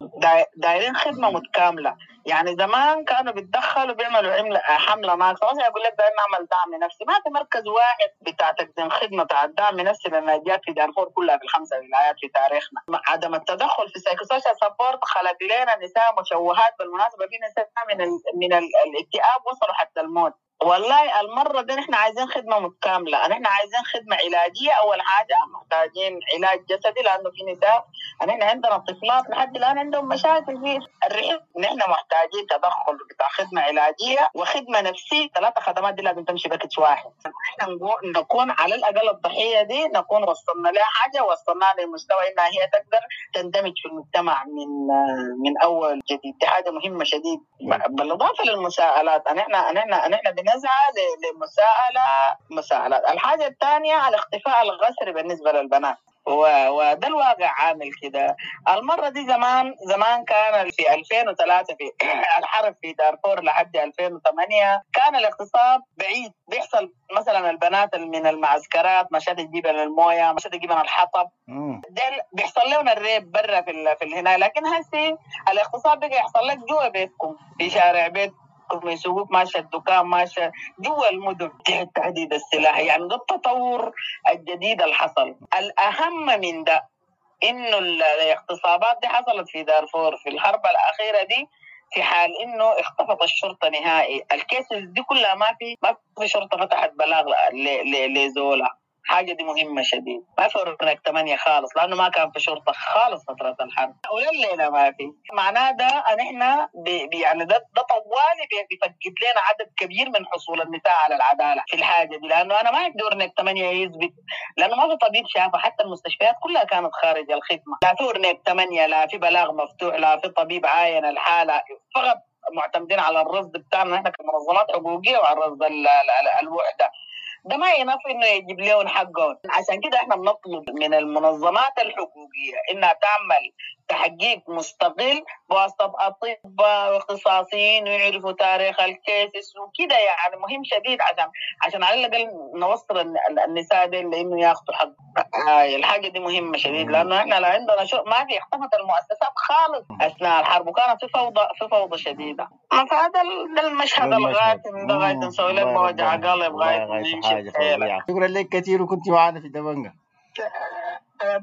دايرين خدمة متكاملة. يعني زمان كانوا بيتدخلوا بيعملوا حملة ناقصة، مثلا يقول لك دايرين نعمل دعم نفسي، ما في مركز واحد بتاع تقديم خدمة بتاع الدعم النفسي للناجيات في دارفور كلها في ال5 ولايات في تاريخنا. عدم التدخل في psychosocial support خلق لنا نساء مشوهات. بالمناسبة في نساء من الاكتئاب وصلوا حتى الموت. والله المرة دي نحن عايزين خدمة متكاملة، نحن عايزين خدمة علاجية. أول حاجة محتاجين علاج جسدي لأنه في نساء، نحن عندنا طفلات لحد الآن عندهم مشاكل في الرحم. نحن محتاجين تدخل بتاع خدمة علاجية وخدمة نفسية. 3 خدمات دي لازم تمشي package واحد. نحن نكون على الأقل الضحية دي نكون وصلنا لها حاجة، وصلنا لمستوى إنها هي تقدر تندمج في المجتمع من أول جديد. دي حاجة مهمة شديد. بالإضافة للمساءلات، نحن بنسعى لمساءلة مساءلات. الحاجة الثانية الاختفاء القسري بالنسبة للبنات، وده الواقع عامل كده. المرة دي زمان كان في 2003 في الحرب في دارفور لحد 2008 كان الاغتصاب بعيد، بيحصل مثلا البنات من المعسكرات مشات تجيب المويه، مشات تجيب الحطب، ده بيحصل لهم ال rape برا في الهنا. لكن هسي الاغتصاب بقى يحصل لك جوا بيتكم، في شارع بيتكم، يسوقوك ماشي الدكان، ماشي جوا المدن تحت تهديد السلاح. يعني ده التطور الجديد اللي حصل. الأهم من ده إنه الاغتصابات دي حصلت في دارفور في الحرب الأخيرة دي في حال إنه اختفت الشرطة نهائي. ال cases دي كلها ما في شرطة فتحت بلاغ لزولا. حاجة دي مهمة شديد. ما في أورنيك 8 خالص لأنه ما كان في شرطة خالص فترة الحرب، ولليلة ما في. معناه ده أن إحنا يعني ده طوالي بيفقد لنا عدد كبير من حصول النساء على العدالة في الحاجة دي، لأنه أنا ما عندي أورنيك 8 يثبت، لأنه ما في طبيب شافه، حتى المستشفيات كلها كانت خارج الخدمة. لا في أورنيك 8، لا في بلاغ مفتوح، لا في طبيب عاين الحالة، فقط معتمدين على الرصد بتاعنا إحنا كمنظمات حقوقية وعلى الرصد الوحدة. ده ما ينفي انه يجيب لهم حقهم. عشان كده احنا بنطلب من المنظمات الحقوقيه انها تعمل تحقيق مستقل بواسطة أطباء واختصاصيين ويعرفوا تاريخ ال cases وكده، يعني مهم شديد عشان على الأقل نوصل النساء دي لأنه ياخذوا حق. الحاجة دي مهمة شديد، لأنه إحنا لا عندنا شو ما في، اختفت المؤسسات خالص أثناء الحرب وكانت في فوضى شديدة. فهذا ده المشهد الغاتم ده غاية نسوي لك وجع قلب غاية نمشي. شكرا لك كثير وكنت معنا في دبنجة.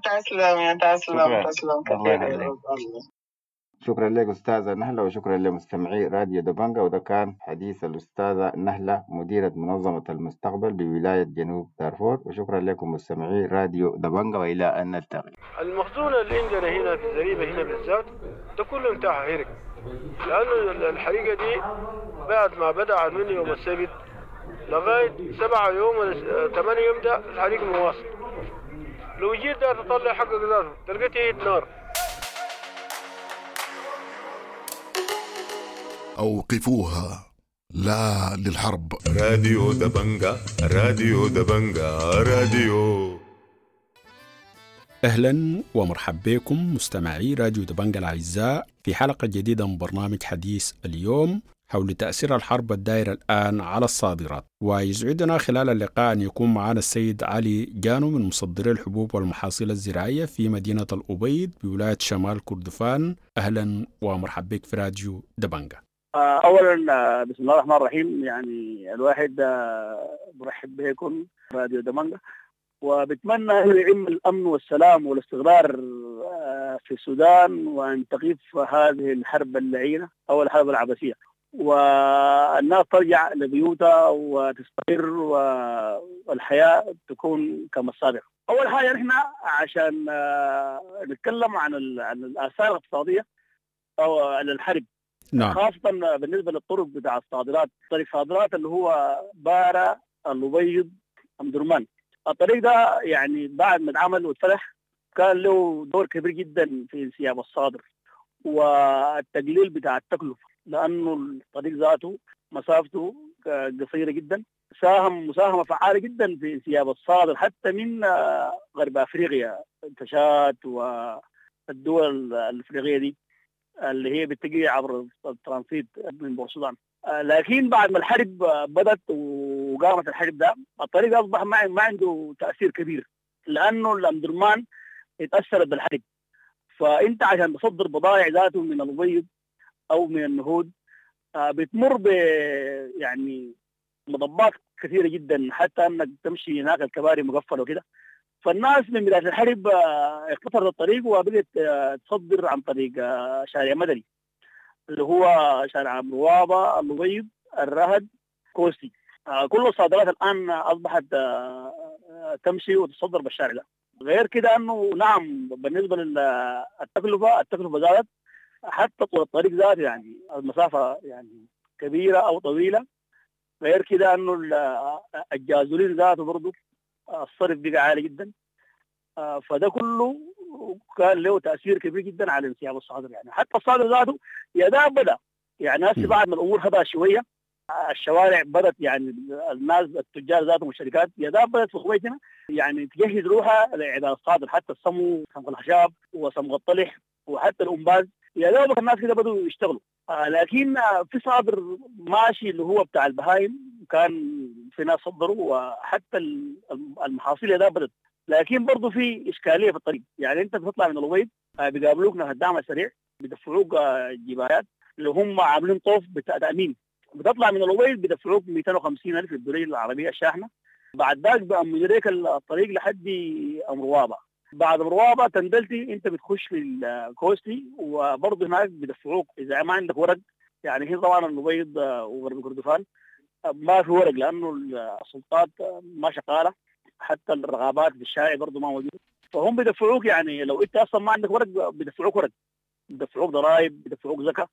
تسلم يا تسلم تسلم كثير. شكرا لك أستاذة نهلة، وشكرا لمستمعي راديو دبنجة. وده كان حديث الأستاذة نهلة مديرة منظمة المستقبل بولاية جنوب دارفور. وشكرا لكم مستمعي راديو دبنجة، وإلى أن نلتقي. المخزون اللي عندنا هنا في الزريبة هنا بالذات ده كله انتهى هرق، لأنه الحريقة دي بعد ما بدأ من يوم السبت لغاية 7 يوم 8 يوم ده الحريق مواصل. لو جيت ده تطلع حقك ذاته تلقيت نار. أوقفوها، لا للحرب. راديو دبنجة، راديو دبنجة، راديو. أهلا ومرحبا بكم مستمعي راديو دبنجة الأعزاء في حلقة جديدة من برنامج حديث اليوم حول تأثير الحرب الدائرة الآن على الصادرات. ويسعدنا خلال اللقاء أن يكون معنا السيد علي جانو من مصدري الحبوب والمحاصيل الزراعية في مدينة الأبيض بولاية شمال كردفان. أهلا ومرحبا بك في راديو دبنجة. أولا بسم الله الرحمن الرحيم، يعني الواحد برحب بكم راديو دبنجة، وبتمنى أن يعم الأمن والسلام والاستقرار في السودان، وأن تقف هذه الحرب اللعينة أو الحرب العبثية، والناس ترجع لبيوتها وتستقر والحياة تكون كما السابق. أول حاجة نحن عشان نتكلم عن الآثار الاقتصادية أو عن الحرب، نعم. خاصة بالنسبة للطرق بتاع الصادرات، طريق صادرات اللي هو بارة الأبيض أم درمان. الطريق ده يعني بعد ما اتعمل واتفتح كان له دور كبير جدا في انسياب الصادر والتقليل بتاع التكلفة، لأنه الطريق ذاته مسافته قصيرة جدا، ساهم مساهمة فعالة جدا في انسياب الصادر حتى من غرب أفريقيا، تشاد والدول الأفريقية دي اللي هي بتجي عبر الترانزيت من بورسودان. لكن بعد ما الحرب بدت وقامت الحرب ده، الطريق أصبح ما عنده تأثير كبير، لأنه الأمدرمان اتأثرت بالحرب. فأنت عشان تصدر بضائع ذاته من الأبيض أو من النهود بتمر ب يعني مضبات كثيرة جدا، حتى أنك تمشي هناك الكباري مقفلة وكده. فالناس من بداية الحرب اقتصرت الطريق وبقت تصدر عن طريق شارع مدني اللي هو شارع مروابة الأبيض الرهد كوستي. كل الصادرات الآن أصبحت تمشي وتصدر بالشارع ده. غير كده أنه نعم بالنسبة للتكلفة، التكلفة زادت حتى طول الطريق ذاته، يعني المسافة يعني كبيرة أو طويلة. غير كده أنه الجازولين ذاته برضو الصرف بقى عالي جدا. فده كله كان له تأثير كبير جدا على انسياب الصادر، يعني حتى الصادر ذاته يا ده بدأ يعني هسه بعد ما الأمور هدأت شوية، الشوارع بدأت يعني الناس التجار ذاتهم والشركات يا ده بدأت في خويتنا يعني تجهز روحها لإعداد الصادر، حتى الصمو صمغ الخشاب وصمغ الطلح وحتى الأمباز يا دوبك الناس كده بدأوا يشتغلوا. لكن في صادر ماشي اللي هو بتاع البهايم، كان في ناس صدروا وحتى المحاصيل يا ده بدأت، لكن برضه في إشكالية في الطريق. يعني أنت بتطلع من الأبيض بيقابلوك ناس الدعم السريع، بيدفعوك جبايات اللي هم عاملين طوف بتاع تأمين. بتطلع من الأبيض بيدفعوك 250 ألف الدولية العربية الشاحنة. بعد ذاك بأمن لك الطريق لحد أمروابة. بعد أمروابة تندلتي أنت بتخش في الكوستي، وبرضه هناك بيدفعوك إذا ما عندك ورق. يعني هي طبعا الأبيض وغرب كردفان ما في ورق لأنه السلطات ما شغالة، حتى الرغبات في الشارع برضه ما موجودة. فهم بيدفعوك يعني لو أنت أصلا ما عندك ورق بيدفعوك ورق، بيدفعوك ضرائب، بيدفعوك زكاة،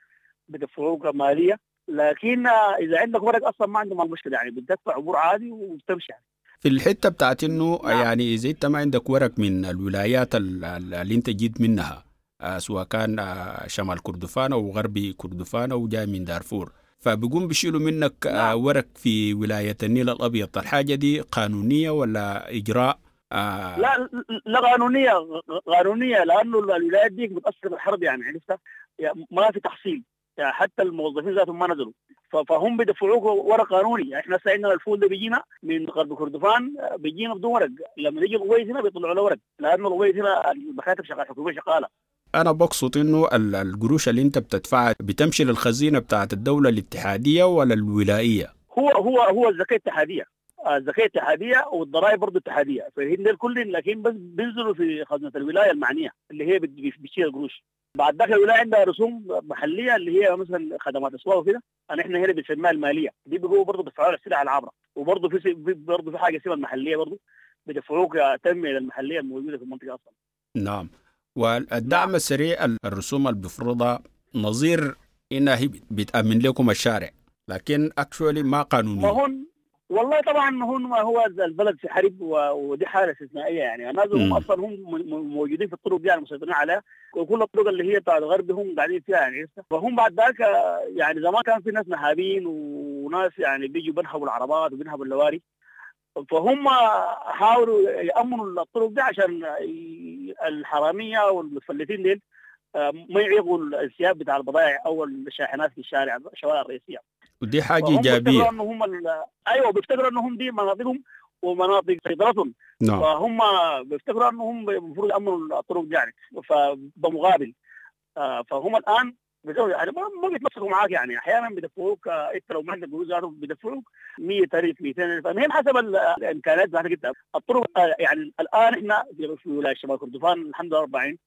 بيدفعوك مالية. لكن إذا عندك ورق أصلا ما عندهم المشكلة، يعني بتدفع عبور عادي وبتمشي يعني. في الحتة بتاعت إنه يعني إذا أنت ما عندك ورق من الولايات اللي أنت جيت منها، سواء كان شمال كردفان أو غربي كردفان أو جاي من دارفور، فبيقوم بيشيلوا منك ورق في ولاية النيل الأبيض. الحاجة دي قانونية ولا إجراء لا لا، قانونية لانه الولايات دي متاثرة بالحرب يعني، عرفتها؟ يعني ما في تحصيل يعني، حتى الموظفين ذاتهم ما نزلوا، فهم بيدفعوك ورق قانوني. يعني احنا هسه عندنا الفول ده بيجينا من غرب كردفان، بيجينا بدون ورق، لما يجي الأبيض هنا بيطلعوا له ورق، لانه الأبيض هنا المكاتب شغالة، الحكومية شغالة. انا بقصد انه القروش اللي انت بتدفعها بتمشي للخزينه بتاعت الدولة الاتحادية ولا الولائيه؟ هو هو هو الزكاة الاتحادية، الزكاة الاتحادية والضرائب برضه اتحادية، فهن الكل، لكن بس بينزلوا في خزنه الولاية المعنية اللي هي بتشيل القروش. بعد ذاك الولاية عندها رسوم محليه اللي هي مثلا خدمات اسواق وكده، احنا هنا بنسميها المالية دي، بيجوا برضه بيدفعوا السلع العابره، وبرضه في برضه في حاجة اسمها المحلية، برضه بيدفعوك تنمية للمحليه الموجودة في المنطقة اصلا. نعم. والدعم السريع الرسوم اللي بيفرضها نظير انها هي بتامن لكم الشارع، لكن actually ما قانوني. ما هون والله طبعا هون ما هو البلد في حرب، ودي حاله استثنائية يعني. الناس هم اصلا هم موجودين في الطرق دي يعني، مسيطرين عليها، وكل الطرق اللي هي بتاع الغرب هم قاعدين فيها يعني. فهم بعد ذاك يعني زمان كان في ناس نهابين وناس يعني بيجوا بينهبوا العربات وبينهبوا اللواري، فهم حاولوا يأمنوا الطرق دي عشان الحرامية والمتفلتين ديل ما يعيقوا الانسياب بتاع البضائع او الشاحنات في الشارع، الشوارع الرئيسية. ودي حاجة ايجابية. انهم ايوه بيفتكروا انهم دي مناطقهم ومناطق سيطرتهم. نعم. فهم بيفتكروا انهم المفروض يامنوا الطرق دي يعني، فبمقابل فهم الان يعني ما بيتمسكوا معاك يعني، احيانا بيدفعوك انت لو ما عندك قروش ذاته بيدفعوك 100,000 200,000، المهم حسب الامكانيات بتاعتك انت. الطرق يعني الان احنا في ولاية شمال كردفان الحمد لله 40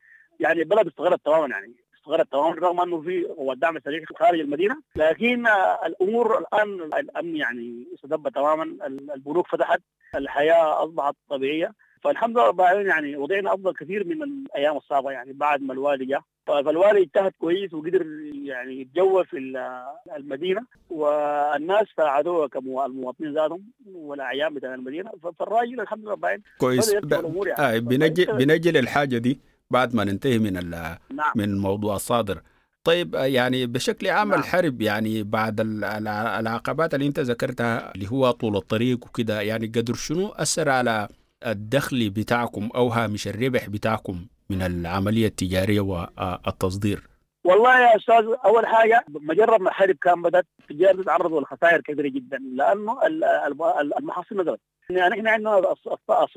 يعني البلد استغرت تماما يعني، استغرت تماما، رغم انه في قوات الدعم السريع خارج المدينة، لكن الامور الان الامن يعني استتب تماما، البنوك فتحت، الحياة اصبحت طبيعية، فالحمد لله رب العالمين يعني وضعنا افضل كثير من الايام الصعبة يعني. بعد ما الوالي جاء، فالوالي اجتهد كويس وقدر يعني يتجول في المدينة، والناس ساعدوه كمواطنين ذاتهم والاعيان بتاع المدينة، فالراجل الحمد لله رب العالمين كويس. يعني. بنجي للحاجة دي بعد ما ننتهي من نعم. من موضوع الصادر. طيب يعني بشكل عام نعم. الحرب يعني بعد العقبات اللي انت ذكرتها اللي هو طول الطريق وكده، يعني قدر شنو اثر على الدخل بتاعكم او هامش الربح بتاعكم من العملية التجارية والتصدير؟ والله يا استاذ، اول حاجة مجرد ما الحرب كان بدات التجار تتعرضوا لخسائر كبيرة جدا، لانه المحاصيل نزلت. يعني احنا عندنا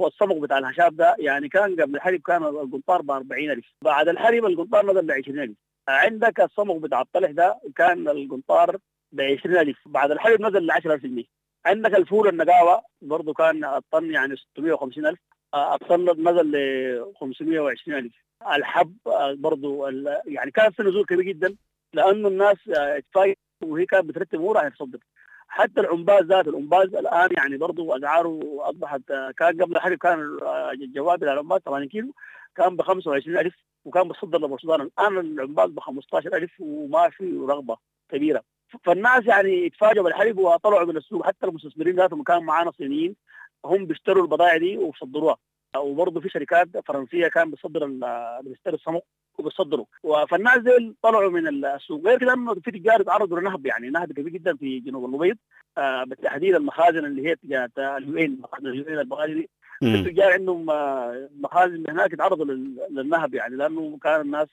الصمغ بتاع الهشاب ده يعني كان قبل الحرب كان القنطار ب 40,000، بعد الحرب القنطار نزل ل 20,000. عندك الصمغ بتاع الطلح ده كان القنطار ب 20,000، بعد الحرب نزل ل 10,000 جنيه. عندك الفول النقاوه برضه كان الطن يعني 650,000، الطن نزل ل 520,000. الحب برضه يعني كان في نزول كبير جدا، لانه الناس اتفاجئت وهي كانت بترتب امورها عشان تصدر. حتى العمباز ذات العمباز الان يعني برضه اسعاره اصبحت، كان قبل الحرب كان الجواب بتاع العمباز 80 كيلو كان ب 25,000 وكان بتصدر لبورسودان، الان العمباز ب 15,000 وما في رغبة كبيرة. فالناس يعني اتفاجئوا بالحرب وطلعوا من السوق، حتى المستثمرين ذاتهم كان معانا صينيين هم بيشتروا البضائع دي وبيصدروها، وبرضه في شركات فرنسية كان بتصدر بتشتري الصمغ وبتصدروا، فالناس دي طلعوا من السوق. غير كده انه في تجار تعرضوا لنهب، يعني نهب كبير جدا في جنوب الابيض، بالتحديد المخازن اللي هي تجارة ال UN، مخازن ال UN البغالي دي، التجار عندهم مخازن هناك تعرضوا للنهب يعني، لانه كان الناس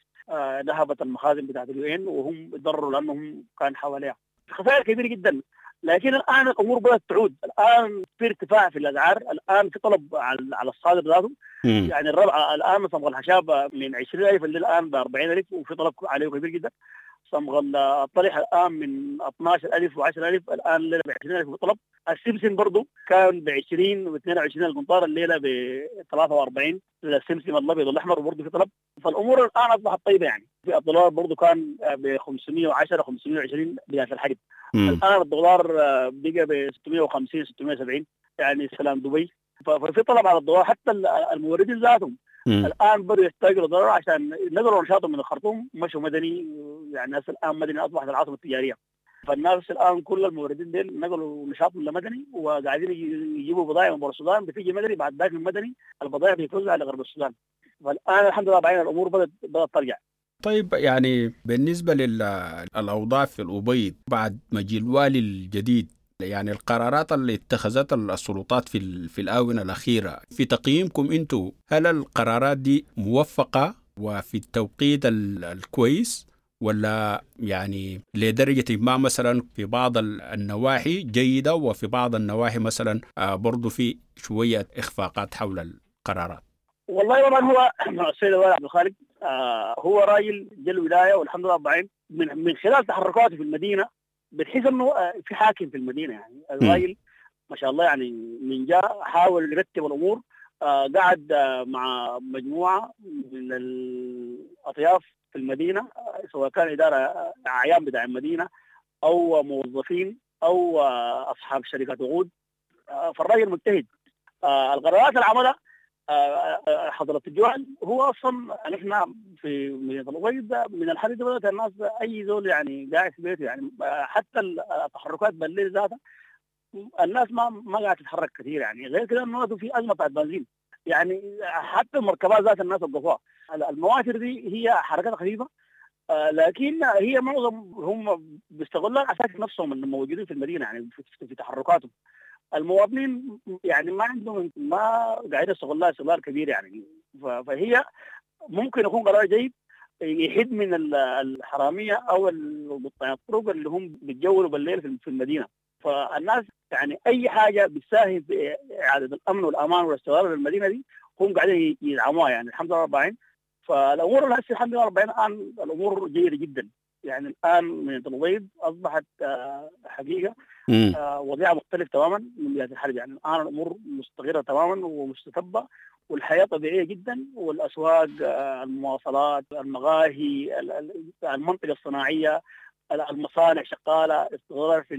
نهبت المخازن بتاعت ال UN وهم تضرروا لانهم كان حواليها خسائر كبيرة جدا. لكن الان الامور بدات تعود، الان في ارتفاع في الاسعار، الان في طلب على الصادر ذاته. يعني الربع الان صمغ الخشاب من 20,000 اللي الان ب 40,000 وفي طلب عليه كبير جدا. صمغ الطلح الان من 12,000 و10,000 الان الليلة ب 20,000 وطلب. السمسم برضه كان ب 20 و22 القنطار، الليلة ب 43 السمسم الابيض والاحمر وبرضه في طلب. فالامور الان اصبحت طيبة يعني. في الدولار برضه كان ب 510 520 بداية الحرب، الان الدولار بقى ب 650 670 يعني سلام دبي. ففي طلب على الدولار، حتى الموردين ذاتهم الان بدوا يحتاجوا للدولار عشان نقلوا نشاطهم من الخرطوم مشوا مدني، يعني الناس الان مدني اصبحت العاصمة التجارية، فالناس الان كل الموردين ديل نقلوا نشاطهم لمدني وقاعدين يجيبوا بضائع من برا السودان، بتيجي مدني، بعد ذاك من مدني البضائع بتتوزع لغرب السودان. فالان الحمد لله بعدين الامور بدات ترجع. طيب يعني بالنسبة للاوضاع في الابيض بعد مجيء الوالي الجديد، يعني القرارات اللي اتخذتها السلطات في الآونة الأخيرة، في تقييمكم أنتم هل القرارات دي موفقة وفي التوقيت الكويس، ولا يعني لدرجة ما مثلا في بعض النواحي جيدة وفي بعض النواحي مثلا برضو في شوية إخفاقات حول القرارات؟ والله طبعا هو السيد الوالي عبد الخالق هو راجل جا الولاية والحمد لله رب من خلال تحركاته في المدينة بتحس انه في حاكم في المدينة. يعني الراجل ما شاء الله يعني من جاء حاول يرتب الامور، قعد مع مجموعة من الاطياف في المدينة، سواء كان ادارة اعيان بتاع المدينة او موظفين او اصحاب شركات وقود. فالراجل مجتهد. القرارات اللي عملها حضرة الجوال هو اصلا نحن في مدينة الأبيض من الحديث بدات الناس اي زول يعني قاعد في بيته، يعني حتى التحركات بالليل ذاتها الناس ما قاعدة تتحرك كثير. يعني غير كده انه في ازمة بتاعت بنزين، يعني حتى المركبات ذات الناس وقفوها. المواتر دي هي حركاتها خفيفة، لكن هي معظم هم بيستغلوها عساكر نفسهم اللي موجودين في المدينة، يعني في تحركاتهم. المواطنين يعني ما عندهم، ما قاعدين يستغلوها استغلال كبير يعني. فهي ممكن يكون قرار جيد يحد من الحرامية او الطرق اللي هم بيتجولوا بالليل في المدينة. فالناس يعني اي حاجة بتساهم في اعاده الامن والامان والاستقرار في المدينة دي هم قاعدين يدعموها يعني الحمد لله رب العالمين. فالامور هسه الحمد لله رب العالمين الان الامور جيدة جدا. يعني الان مدينة الأبيض اصبحت حقيقة وضعها مختلف تماما من بداية الحرب. يعني الان الامور مستقره تماما ومستتبه، والحياة طبيعية جدا، والاسواق، المواصلات، المقاهي، المنطقة الصناعية، المصانع شغالة، استقرار في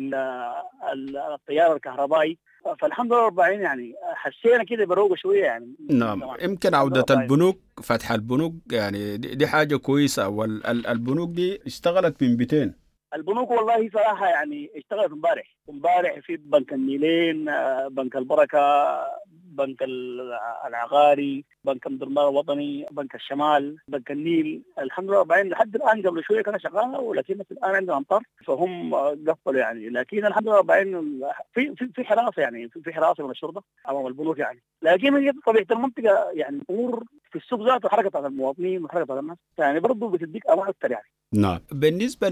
التيار الكهربائي. فالحمد لله رب العالمين يعني حسينا كده بروقه شوية يعني. نعم، يمكن عوده البنوك، فتح البنوك يعني دي حاجة كويسة. والبنوك دي اشتغلت من بيتين. البنوك والله صراحة يعني اشتغلت امبارح في بنك النيلين، بنك البركة، بنك العقاري، بنك أم درمان الوطني، بنك الشمال، بنك النيل. الحمد لله رب العالمين لحد الان قبل شوية كان شغالة، ولكن الان عندنا امطار فهم قفلوا يعني. لكن الحمد لله رب العالمين في في في حراسة، يعني في حراسة من الشرطة امام البنوك يعني. لكن هي طبيعة المنطقة يعني الامور في السوق ذاته حركة على المواطنين وحركه على الناس يعني برضه بتديك امان اكثر يعني. نعم، بالنسبة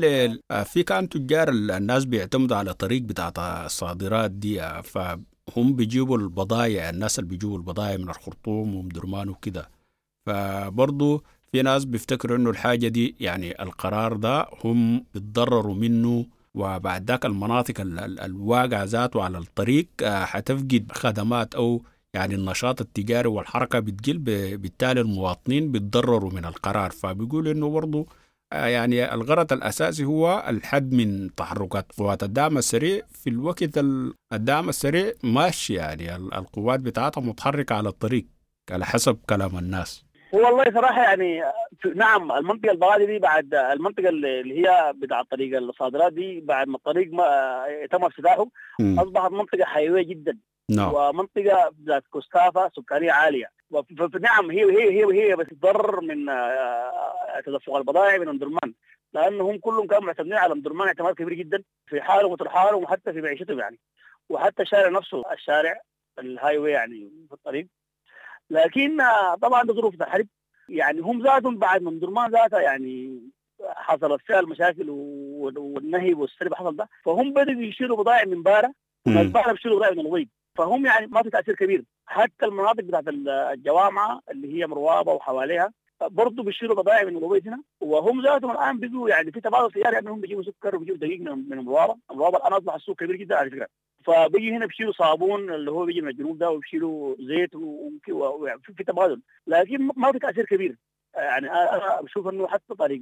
في كان تجار الناس بيعتمدوا على طريق بتاعت الصادرات دي، فهم بيجيبوا البضائع، الناس اللي بيجيبوا البضائع من الخرطوم ومدرمان وكده. فبرضو في ناس بيفتكروا انه الحاجة دي يعني القرار ده هم بيتضرروا منه، وبعد ذاك المناطق الواقعة ذاته على الطريق حتفقد خدمات او يعني النشاط التجاري والحركة بتقل، بالتالي المواطنين بيتضرروا من القرار. فبيقول انه برضو يعني الغرض الأساسي هو الحد من تحركات قوات الدعم السريع في الوقت الدعم السريع ماشي، يعني القوات بتاعتها متحركة على الطريق على حسب كلام الناس. هو والله صراحة يعني نعم المنطقة البغادي دي بعد المنطقة اللي هي بتاع طريق الصادرات دي بعد ما الطريق ما تم افتتاحه أصبحت منطقة حيوية جدا. نعم. ومنطقة ذات كثافة سكانية عالية. نعم هي هي هي هي بتتضرر من تدفق البضائع من أم درمان، لأنهم كلهم كانوا معتمدين على أم درمان اعتماد كبير جدا في حالهم وترحالهم وحتى في معيشتهم يعني، وحتى الشارع نفسه، الشارع ال highway يعني في الطريق. لكن طبعا بظروف الحرب يعني هم ذاتهم بعد من درمان ذاتها يعني حصلت فيها المشاكل والنهب والسرقة حصل ده، فهم بدأوا يشيلوا بضائع من بارة، البارة بيشيلوا بضائع من الأبيض، فهم يعني ما في تأثير كبير. حتى المناطق بتاعت الجوامعة اللي هي مروابة وحواليها برضه بيشيلوا بضائع من الأبيض هنا، وهم ذاتهم الآن بيجوا يعني في تبادل تجاري انهم بيجيبوا سكر وبيجيبوا دقيق من مروابة. مروابة الآن أصبح السوق كبير جدا على فكرة، فبيجي هنا بيشيلوا صابون اللي هو بيجي من الجنوب ده، وبيشيلوا زيت، وفي تبادل، لكن ما في تأثير كبير. يعني أنا بشوف إنه حتى طريق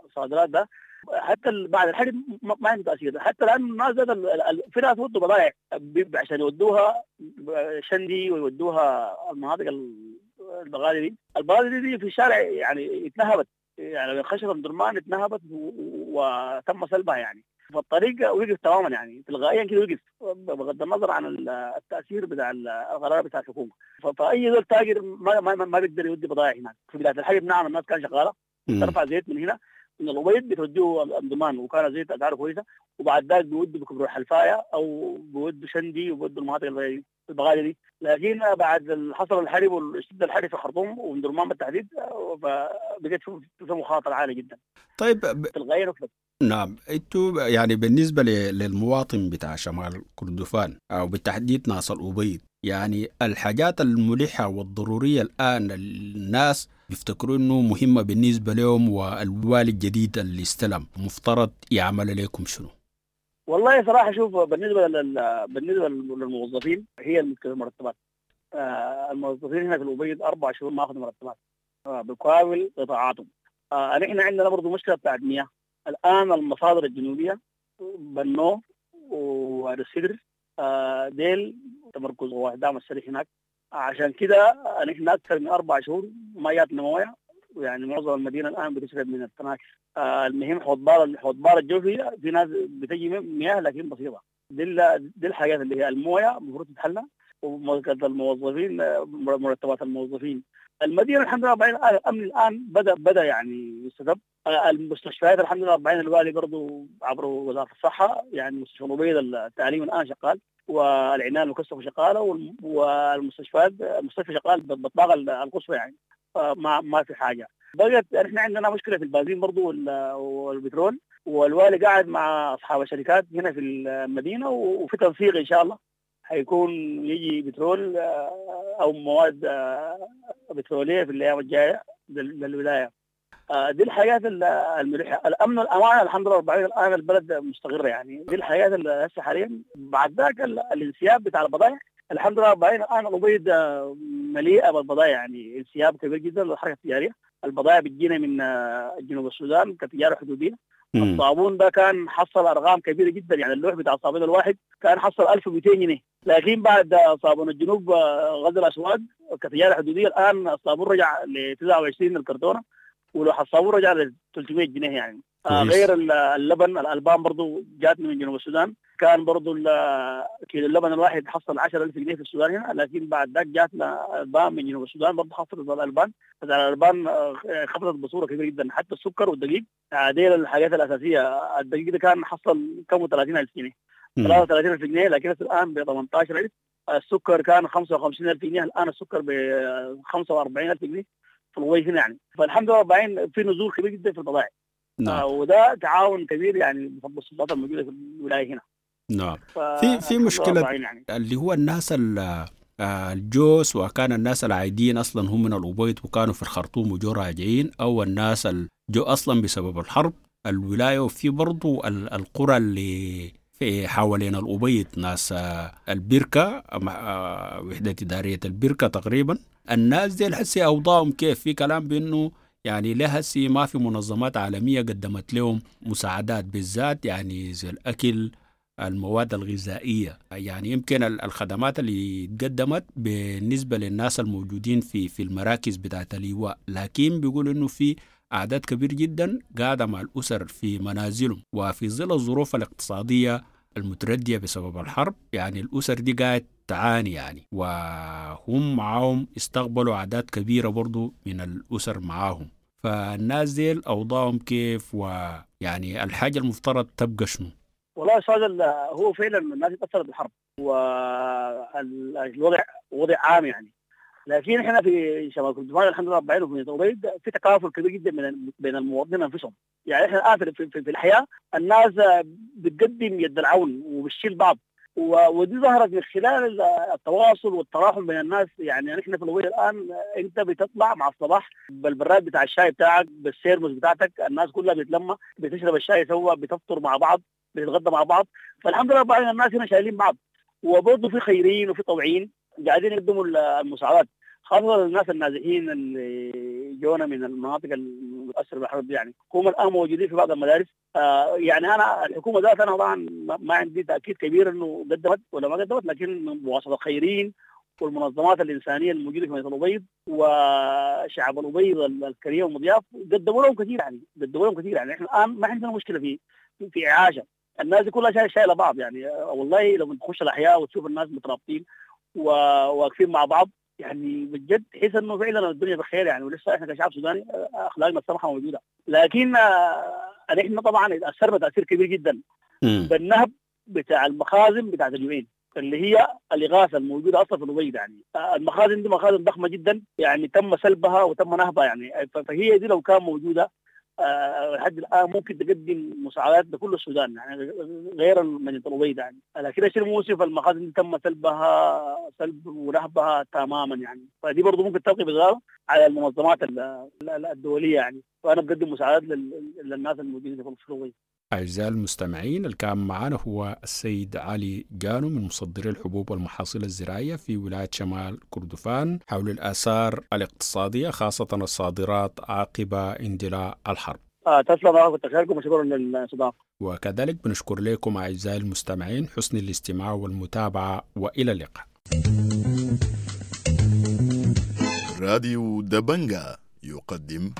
الصادرات ده حتى بعد الحرب ما عنده تأثير، حتى الآن الناس في ناس ودوا بضائع عشان يودوها شندي ويودوها المناطق البغالي دي. البغالي دي في الشارع يعني اتنهبت، يعني خشبة أم درمان اتنهبت وتم سلبها يعني، فالطريق وقف تماما يعني تلقائيا كده وقف، بغض النظر عن التاثير بتاع القرار بتاع الحكومة. فاي زول تاجر ما بيقدر يودي بضائع هناك. في بداية الحرب نعم الناس كانت شغالة ترفع زيت من هنا من الابيض بتوديه امدرمان، وكان الزيت اسعاره كويسة، وبعد ذاك بيودوا بكبر الحلفايه او بيودوا شندي وبيودوا المناطق البغالي دي. لكن بعد حصل الحرب واشتد الحرب في الخرطوم وامدرمان بالتحديد، فبقت في مخاطره عالية جدا. طيب تلقائيا وقفت. نعم، انتوا يعني بالنسبة للمواطن بتاع شمال كردفان او بالتحديد ناس الابيض، يعني الحاجات الملحة والضروريه الان الناس بيفتكروا انه مهمة بالنسبة لهم، والوالي الجديد اللي استلم مفترض يعمل لكم شنو؟ والله صراحة شوف، بالنسبة للموظفين هي المرتبات. الموظفين هنا في الابيض 4 شهور ما اخذوا مرتبات بكامل قطاعاتهم. نحن عندنا برضه مشكلة بتاعت مياه. الان المصادر الجنوبية بنو ووادي السدر ديل تمركز قوات الدعم السريع هناك، عشان كده نحن اكثر من 4 شهور ما جاتنا مويه، يعني معظم المدينة الان بتشرب من التناكر. المهم حوض بار الجوفي في ناس بتجي مياه لكن بسيطة. دي الحاجات اللي هي المويه المفروض تتحلى، ومرتبات الموظفين، مرتبات الموظفين. المدينة الحمد لله الامن الان بدا يعني يستتب. المستشفيات الحمد لله 40 الوالي برضه عبر وزارة الصحة، يعني مستشفى الابيض التعليم الان شغال، والعناية المكثفة شغالة، والمستشفيات المستشفى شغال بالطاقة القصوى، يعني ما في حاجة. بقت احنا عندنا مشكلة في البنزين برضه والبترول، والوالي قاعد مع اصحاب الشركات هنا في المدينة، وفي تنسيق ان شاء الله حيكون يجي بترول او مواد بتروليه في الايام الجاية للولاية. دي الحاجات الملحة. الامن والامان الحمد لله 40 الان البلد مستقره، يعني دي الحاجات اللي هسه حاليا. بعد ذاك الانسياب بتاع البضائع الحمد لله 40 الان الابيض مليئة بالبضائع، يعني انسياب كبير جدا للحركة التجارية. البضائع بتجينا من جنوب السودان كتجاره حدوديه. الصابون ده كان حصل ارقام كبيرة جدا، يعني اللوح بتاع الصابون الواحد كان حصل 1200 جنيه، لكن بعد صابون الجنوب غزل الاسواق كتجاره حدوديه الان الصابون رجع ل 29 الكرتونه، ولوح الصابون رجع ل 300 جنيه يعني. غير اللبن، الالبان برضو جاتنا من جنوب السودان، كان برضو كيلو اللبن الواحد حصل 10000 جنيه في السودان هنا، لكن بعد ذاك جاتنا البان من جنوب السودان برضو حصلت الالبان، الالبان خفضت بصورة كبيرة جدا. حتى السكر والدقيق، دي الحاجات الاساسية. الدقيق ده كان حصل كم 30000 جنيه، 33000 جنيه، لكن الان ب 18000. السكر كان 55000 جنيه، الان السكر ب 45000 جنيه في الوي هنا يعني. فالحمد لله 40 في نزول كبير جدا في البضائع. نعم. وده تعاون كبير يعني بفضل السلطات الموجودة في الولاية هنا. نعم. في مشكلة يعني اللي هو الناس الجوس، وكان الناس العاديين اصلا هم من الابيض وكانوا في الخرطوم وجو راجعين، او الناس الجو اصلا بسبب الحرب الولاية. وفي برضو القرى اللي في حوالين الابيض، ناس البركة، وحده ادارية البركة تقريبا، الناس دي هسي اوضاعهم كيف؟ في كلام بانه يعني لهسي ما في منظمات عالمية قدمت لهم مساعدات، بالذات يعني زي الأكل، المواد الغذائية، يعني يمكن الخدمات اللي تقدمت بالنسبة للناس الموجودين في المراكز بتاعت اللواء، لكن بيقولوا إنه في أعداد كبير جدا قاعدة مع الأسر في منازلهم، وفي ظل الظروف الاقتصادية المتردية بسبب الحرب يعني الأسر دي قاعد تعاني يعني، وهم معاهم استقبلوا أعداد كبيرة برضو من الأسر معاهم. فالناس دي أوضاعهم كيف، ويعني الحاجة المفترض تبقى شنو؟ والله أستاذ، هو فعلا الناس تأثرت بالحرب والوضع وضع عام يعني، لكن احنا في شمال كردفان الحمد لله 40 وفي الأبيض في تكافل كبير جدا بين المواطنين انفسهم. يعني احنا الان في الحياة الناس بتقدم يد العون وبتشيل بعض، ودي ظهرت من خلال التواصل والتراحم بين الناس. يعني نحن في الأبيض الان انت بتطلع مع الصباح بالبراد بتاع الشاي بتاعك، بالسيرمس بتاعتك، الناس كلها بتتلمى، بتشرب الشاي سوا، بتفطر مع بعض، بتتغدى مع بعض. فالحمد لله بعض الناس هنا شايلين بعض، وبرضه في خيرين وفي طوعيين قاعدين يقدموا المساعدات، خاصة الناس النازحين اللي جونا من المناطق المتأثرة بالحرب دي، يعني هم الآن موجودين في بعض المدارس. يعني أنا الحكومة ذات أنا طبعا ما عندي تأكيد كبير إنه قدمت ولا ما قدمت، لكن بواسطة الخيرين والمنظمات الإنسانية الموجودة في مدينة الأبيض وشعب الأبيض الكريم والمضياف قدموا لهم كثير، يعني قدموا لهم كثير. يعني إحنا الآن ما عندنا مشكلة في إعاشة، الناس دي كلها شايلة بعض. يعني والله لو تخش الأحياء وتشوف الناس مترابطين وواقفين مع بعض، يعني بجد تحس انه فعلا الدنيا بخير يعني، ولسه احنا كشعب سوداني اخلاقنا السمحة موجودة. لكن نحن طبعا اتاثرنا تاثير كبير جدا بالنهب بتاع المخازن بتاعت ال UN اللي هي الاغاثة الموجودة اصلا في الأبيض. يعني المخازن دي مخازن ضخمة جدا يعني، تم سلبها وتم نهبها يعني. فهي دي لو كان موجودة لحد الان ممكن تقدم مساعدات لكل السودان يعني، غير مدينة الأبيض يعني. لكن الشيء المؤسف المخازن دي تم سلبها سلب ونهبها تماما يعني. فدي برضه ممكن تلقي بضرر على المنظمات الدولية يعني. فانا بقدم مساعدات للناس الموجودين في الأبيض. أعزائي المستمعين، اللي كان معنا هو السيد علي جانو من مصدري الحبوب والمحاصيل الزراعية في ولاية شمال كردفان حول الآثار الاقتصادية خاصة الصادرات عقب اندلاع الحرب. تسلم كتر وشكرا للاستضافة. وكذلك بنشكر لكم أعزائي المستمعين حسن الاستماع والمتابعة، وإلى اللقاء. راديو دبنجا يقدم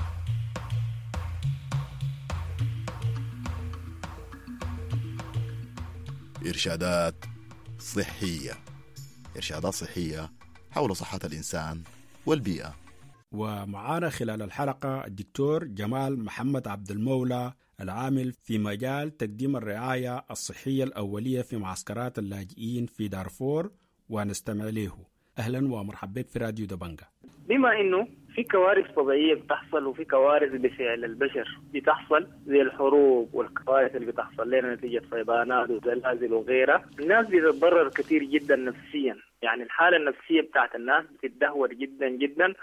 إرشادات صحية. إرشادات صحية حول صحة الإنسان والبيئة. ومعانا خلال الحلقة الدكتور جمال محمد عبد المولى العامل في مجال تقديم الرعاية الصحية الأولية في معسكرات اللاجئين في دارفور، ونستمع له. أهلا ومرحبا بك في راديو دبنجا. بما إنه في كوارث طبيعية بتحصل وفي كوارث بفعل البشر بتحصل زي الحروب والكوارث اللي بتحصل لنا نتيجة فيضانات وزلازل وغيرها، الناس بتتضرر كثير جدا نفسيا، يعني الحالة النفسية بتاعت الناس بتتدهور جدا جدا،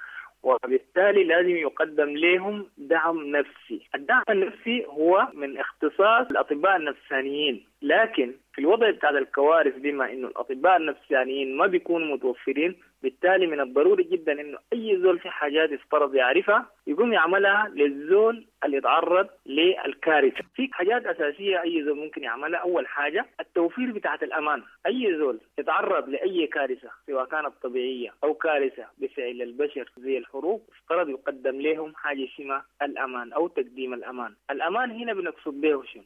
وبالتالي لازم يقدم لهم دعم نفسي. الدعم النفسي هو من اختصاص الأطباء النفسانيين، لكن في الوضع بتاع الكوارث بما إنه الأطباء النفسانيين ما بيكونوا متوفرين، بالتالي من الضروري جدا إنه أي زول في حاجات يفترض يعرفها يقوم يعملها للزول اللي يتعرض للكارثة. في حاجات أساسية أي زول ممكن يعملها. أول حاجة التوفير بتاعة الأمان. أي زول يتعرض لأي كارثة سواء كانت طبيعية أو كارثة بفعل البشر زي الحروب، افترض يقدم لهم حاجة اسمها الأمان أو تقديم الأمان. الأمان هنا بنقصد به شنو؟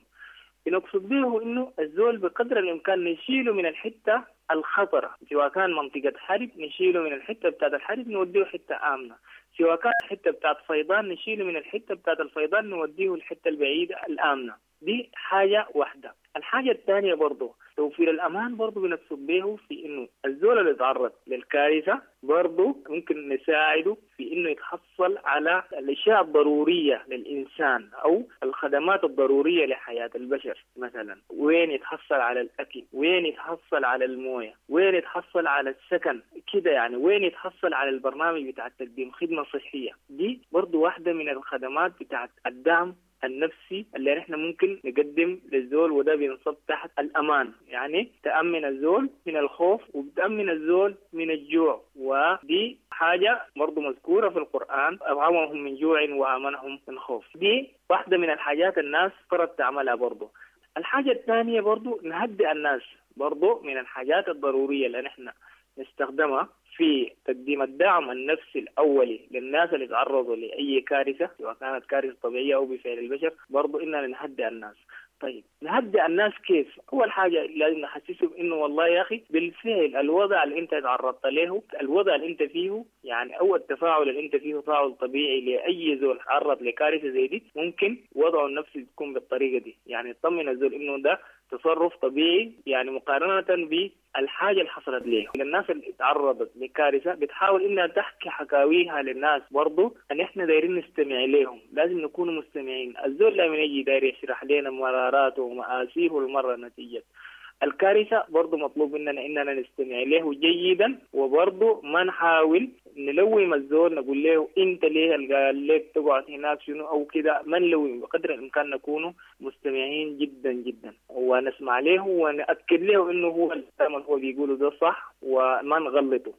بنقصد به إنه الزول بقدر الإمكان نشيله من الحتة الخطرة، سواء كان منطقة حرب نشيله من الحتة بتاعت الحرب نوديه حتة آمنة، سواء كان حتة بتاعت فيضان نشيله من الحتة بتاعت الفيضان نوديه الحتة البعيدة الآمنة. دي حاجة واحدة. الحاجة الثانية برضو توفير الأمان برضو بنقصد به في إنه الزول اللي يتعرض للكارثة برضو ممكن نساعده في إنه يتحصل على الأشياء الضرورية للإنسان أو الخدمات الضرورية لحياة البشر. مثلا وين يتحصل على الأكل، وين يتحصل على الموية، وين يتحصل على السكن كده يعني، وين يتحصل على البرنامج بتاع تقديم خدمة صحية. دي برضو واحدة من الخدمات بتاعت الدعم النفسي اللي نحن ممكن نقدم للزول، وده بينصب تحت الأمان، يعني تأمن الزول من الخوف وبتأمن الزول من الجوع. ودي حاجة برضو مذكورة في القرآن، أطعمهم من جوع وآمنهم من خوف. دي واحدة من الحاجات الناس فرض تعملها برضو. الحاجة الثانية برضو نهدئ الناس، برضو من الحاجات الضرورية اللي نحن نستخدمها في تقديم الدعم النفسي الأولي للناس اللي تعرضوا لأي كارثة سواء كانت كارثة طبيعية أو بفعل البشر، برضو إننا نهدئ الناس. طيب نهدئ الناس كيف؟ أول حاجة لازم نحسسهم إنه والله يا أخي بالفعل الوضع اللي أنت تعرضت له، الوضع اللي أنت فيه يعني، أو التفاعل اللي أنت فيه تفاعل طبيعي لأي زول تعرض لكارثة زي دي، ممكن وضعه النفسي تكون بالطريقة دي، يعني تطمن الزول إنه ده تصرف طبيعي يعني مقارنة بالحاجة اللي حصلت ليه. الناس اللي تعرضت لكارثة بتحاول إنها تحكي حكاويها للناس، برضو أن إحنا دايرين نستمع لهم، لازم نكون مستمعين. الزول لما يجي داير يشرح لنا مراراته ومآسيه المرة نتيجة الكارثة، برضو مطلوب مننا إننا نستمع له جيدا، وبرضو ما نحاول نلوم الزول نقول له أنت ليه قال لك تقعد هناك شنو أو كده، ما نلوم، بقدر الإمكان نكون مستمعين جدا جدا ونسمع له ونأكد له إنه هو الكلام اللي هو بيقوله ده صح وما نغلطه.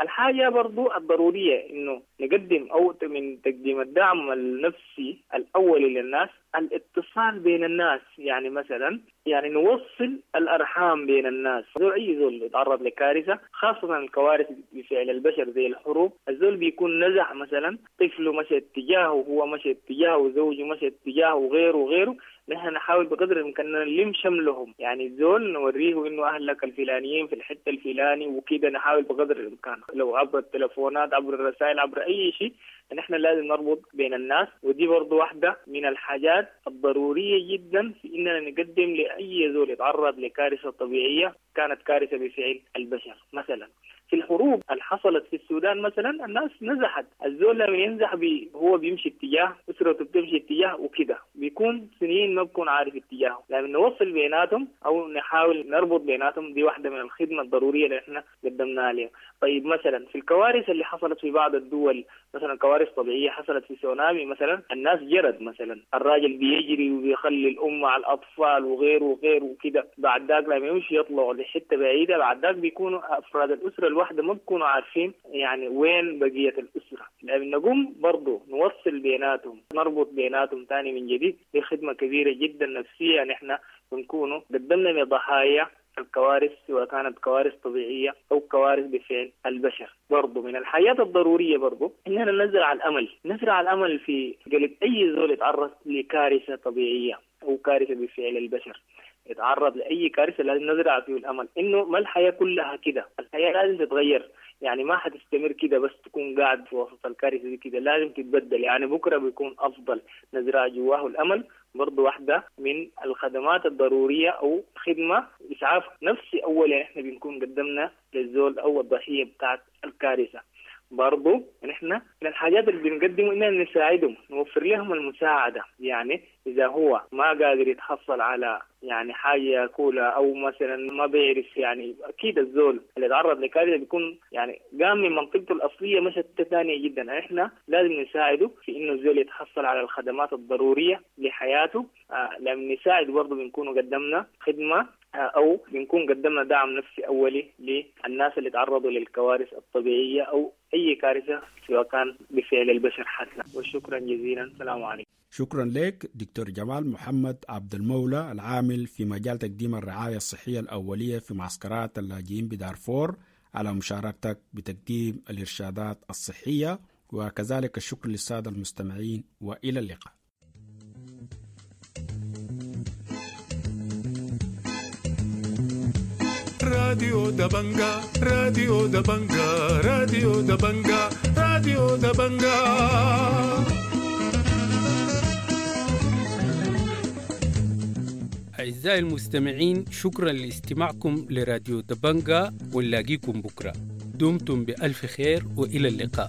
الحاجة برضو الضرورية إنه نقدم أو من تقديم الدعم النفسي الأولي للناس الاتصال بين الناس، يعني مثلا يعني نوصل الأرحام بين الناس. أي زول يتعرض لكارثة خاصة الكوارث بفعل البشر زي الحروب، الزول بيكون نزع مثلا طفله مشى اتجاهه، وهو مشى اتجاهه، وزوجه مشى اتجاهه، وغيره وغيره. نحن نحاول نحاول بقدر الامكان نلم شملهم، يعني الزول نوريه انه اهلك الفلانيين في الحته الفلاني وكده، نحاول بقدر الامكان لو عبر التلفونات، عبر الرسائل، عبر اي شيء، نحن لازم نربط بين الناس. ودي برضو واحدة من الحاجات الضرورية جدا في إننا نقدم لأي زول يتعرض لكارثة طبيعية كانت كارثة بفعل البشر. مثلا في الحروب اللي حصلت في السودان مثلا الناس نزحت، الزول لما ينزح هو بيمشي اتجاه، أسرته بتمشي اتجاه وكده، بيكون سنين ما بكون عارف اتجاهه. لما نوصل بيناتهم أو نحاول نربط بيناتهم، دي واحدة من الخدمة الضرورية اللي احنا قدمناها لهم. طيب مثلا في الكوارث اللي حصلت في بعض الدول، مثلا كوارث طبيعية حصلت في سونامي مثلا، الناس جرت مثلا، الراجل بيجري وبيخلي الأم مع الأطفال وغيره وغيره وكده، بعد ذاك لما يمشي يطلعوا لحتة بعيدة، بعد ذاك بيكونوا أفراد الأسرة الواحدة ما بيكونوا عارفين يعني وين بقية الأسرة. لما نقوم برضو نوصل بيناتهم، نربط بيناتهم تاني من جديد، دي خدمة كبيرة جدا نفسية نحن بنكونوا قدمنا لضحايا الكوارث، سواء كانت كوارث طبيعية أو كوارث بفعل البشر. برضو من الحياة الضرورية برضو إننا نزرع الأمل، نزرع الأمل في قلب أي زول يتعرض لكارثة طبيعية أو كارثة بفعل البشر، يتعرض لأي كارثة لازم نزرع فيه الأمل إنه ما الحياة كلها كده، الحياة لازم تتغير، يعني ما حتستمر كده بس تكون قاعد في وسط الكارثة دي كده، لازم تتبدل، يعني بكرة بيكون أفضل. نزرع جواه الأمل برضو واحدة من الخدمات الضرورية أو خدمة إسعاف نفسي أولا إحنا بنكون قدمنا للزول أو الضحية بتاعت الكارثة. برضو نحن من الحاجات اللي بنقدمه إننا نساعدهم، نوفر لهم المساعدة، يعني إذا هو ما قادر يتحصل على يعني حاجة ياكلها أو مثلا ما بيعرف، يعني أكيد الزول اللي تعرض لكارثة بيكون يعني قام من منطقته الأصلية مشت ثانية جدا، إحنا لازم نساعده في إنه الزول يتحصل على الخدمات الضرورية لحياته. لما نساعد برضو بنكون قدمنا خدمة أو بنكون قدمنا دعم نفسي أولي للناس اللي تعرضوا للكوارث الطبيعية أو أي كارثة سواء كان بفعل البشر حتى. وشكرا جزيلا، السلام عليكم. شكرا لك دكتور جمال محمد عبد المولى، العامل في مجال تقديم الرعاية الصحية الأولية في معسكرات اللاجئين بدارفور، على مشاركتك بتقديم الإرشادات الصحية، وكذلك الشكر للسادة المستمعين، وإلى اللقاء. راديو دبنجا، راديو دبنجا، راديو دبنجا، راديو دبنجا. أعزائي المستمعين، شكرا لاستماعكم لراديو دبنجا، ونلاقيكم بكرة. دمتم بألف خير وإلى اللقاء.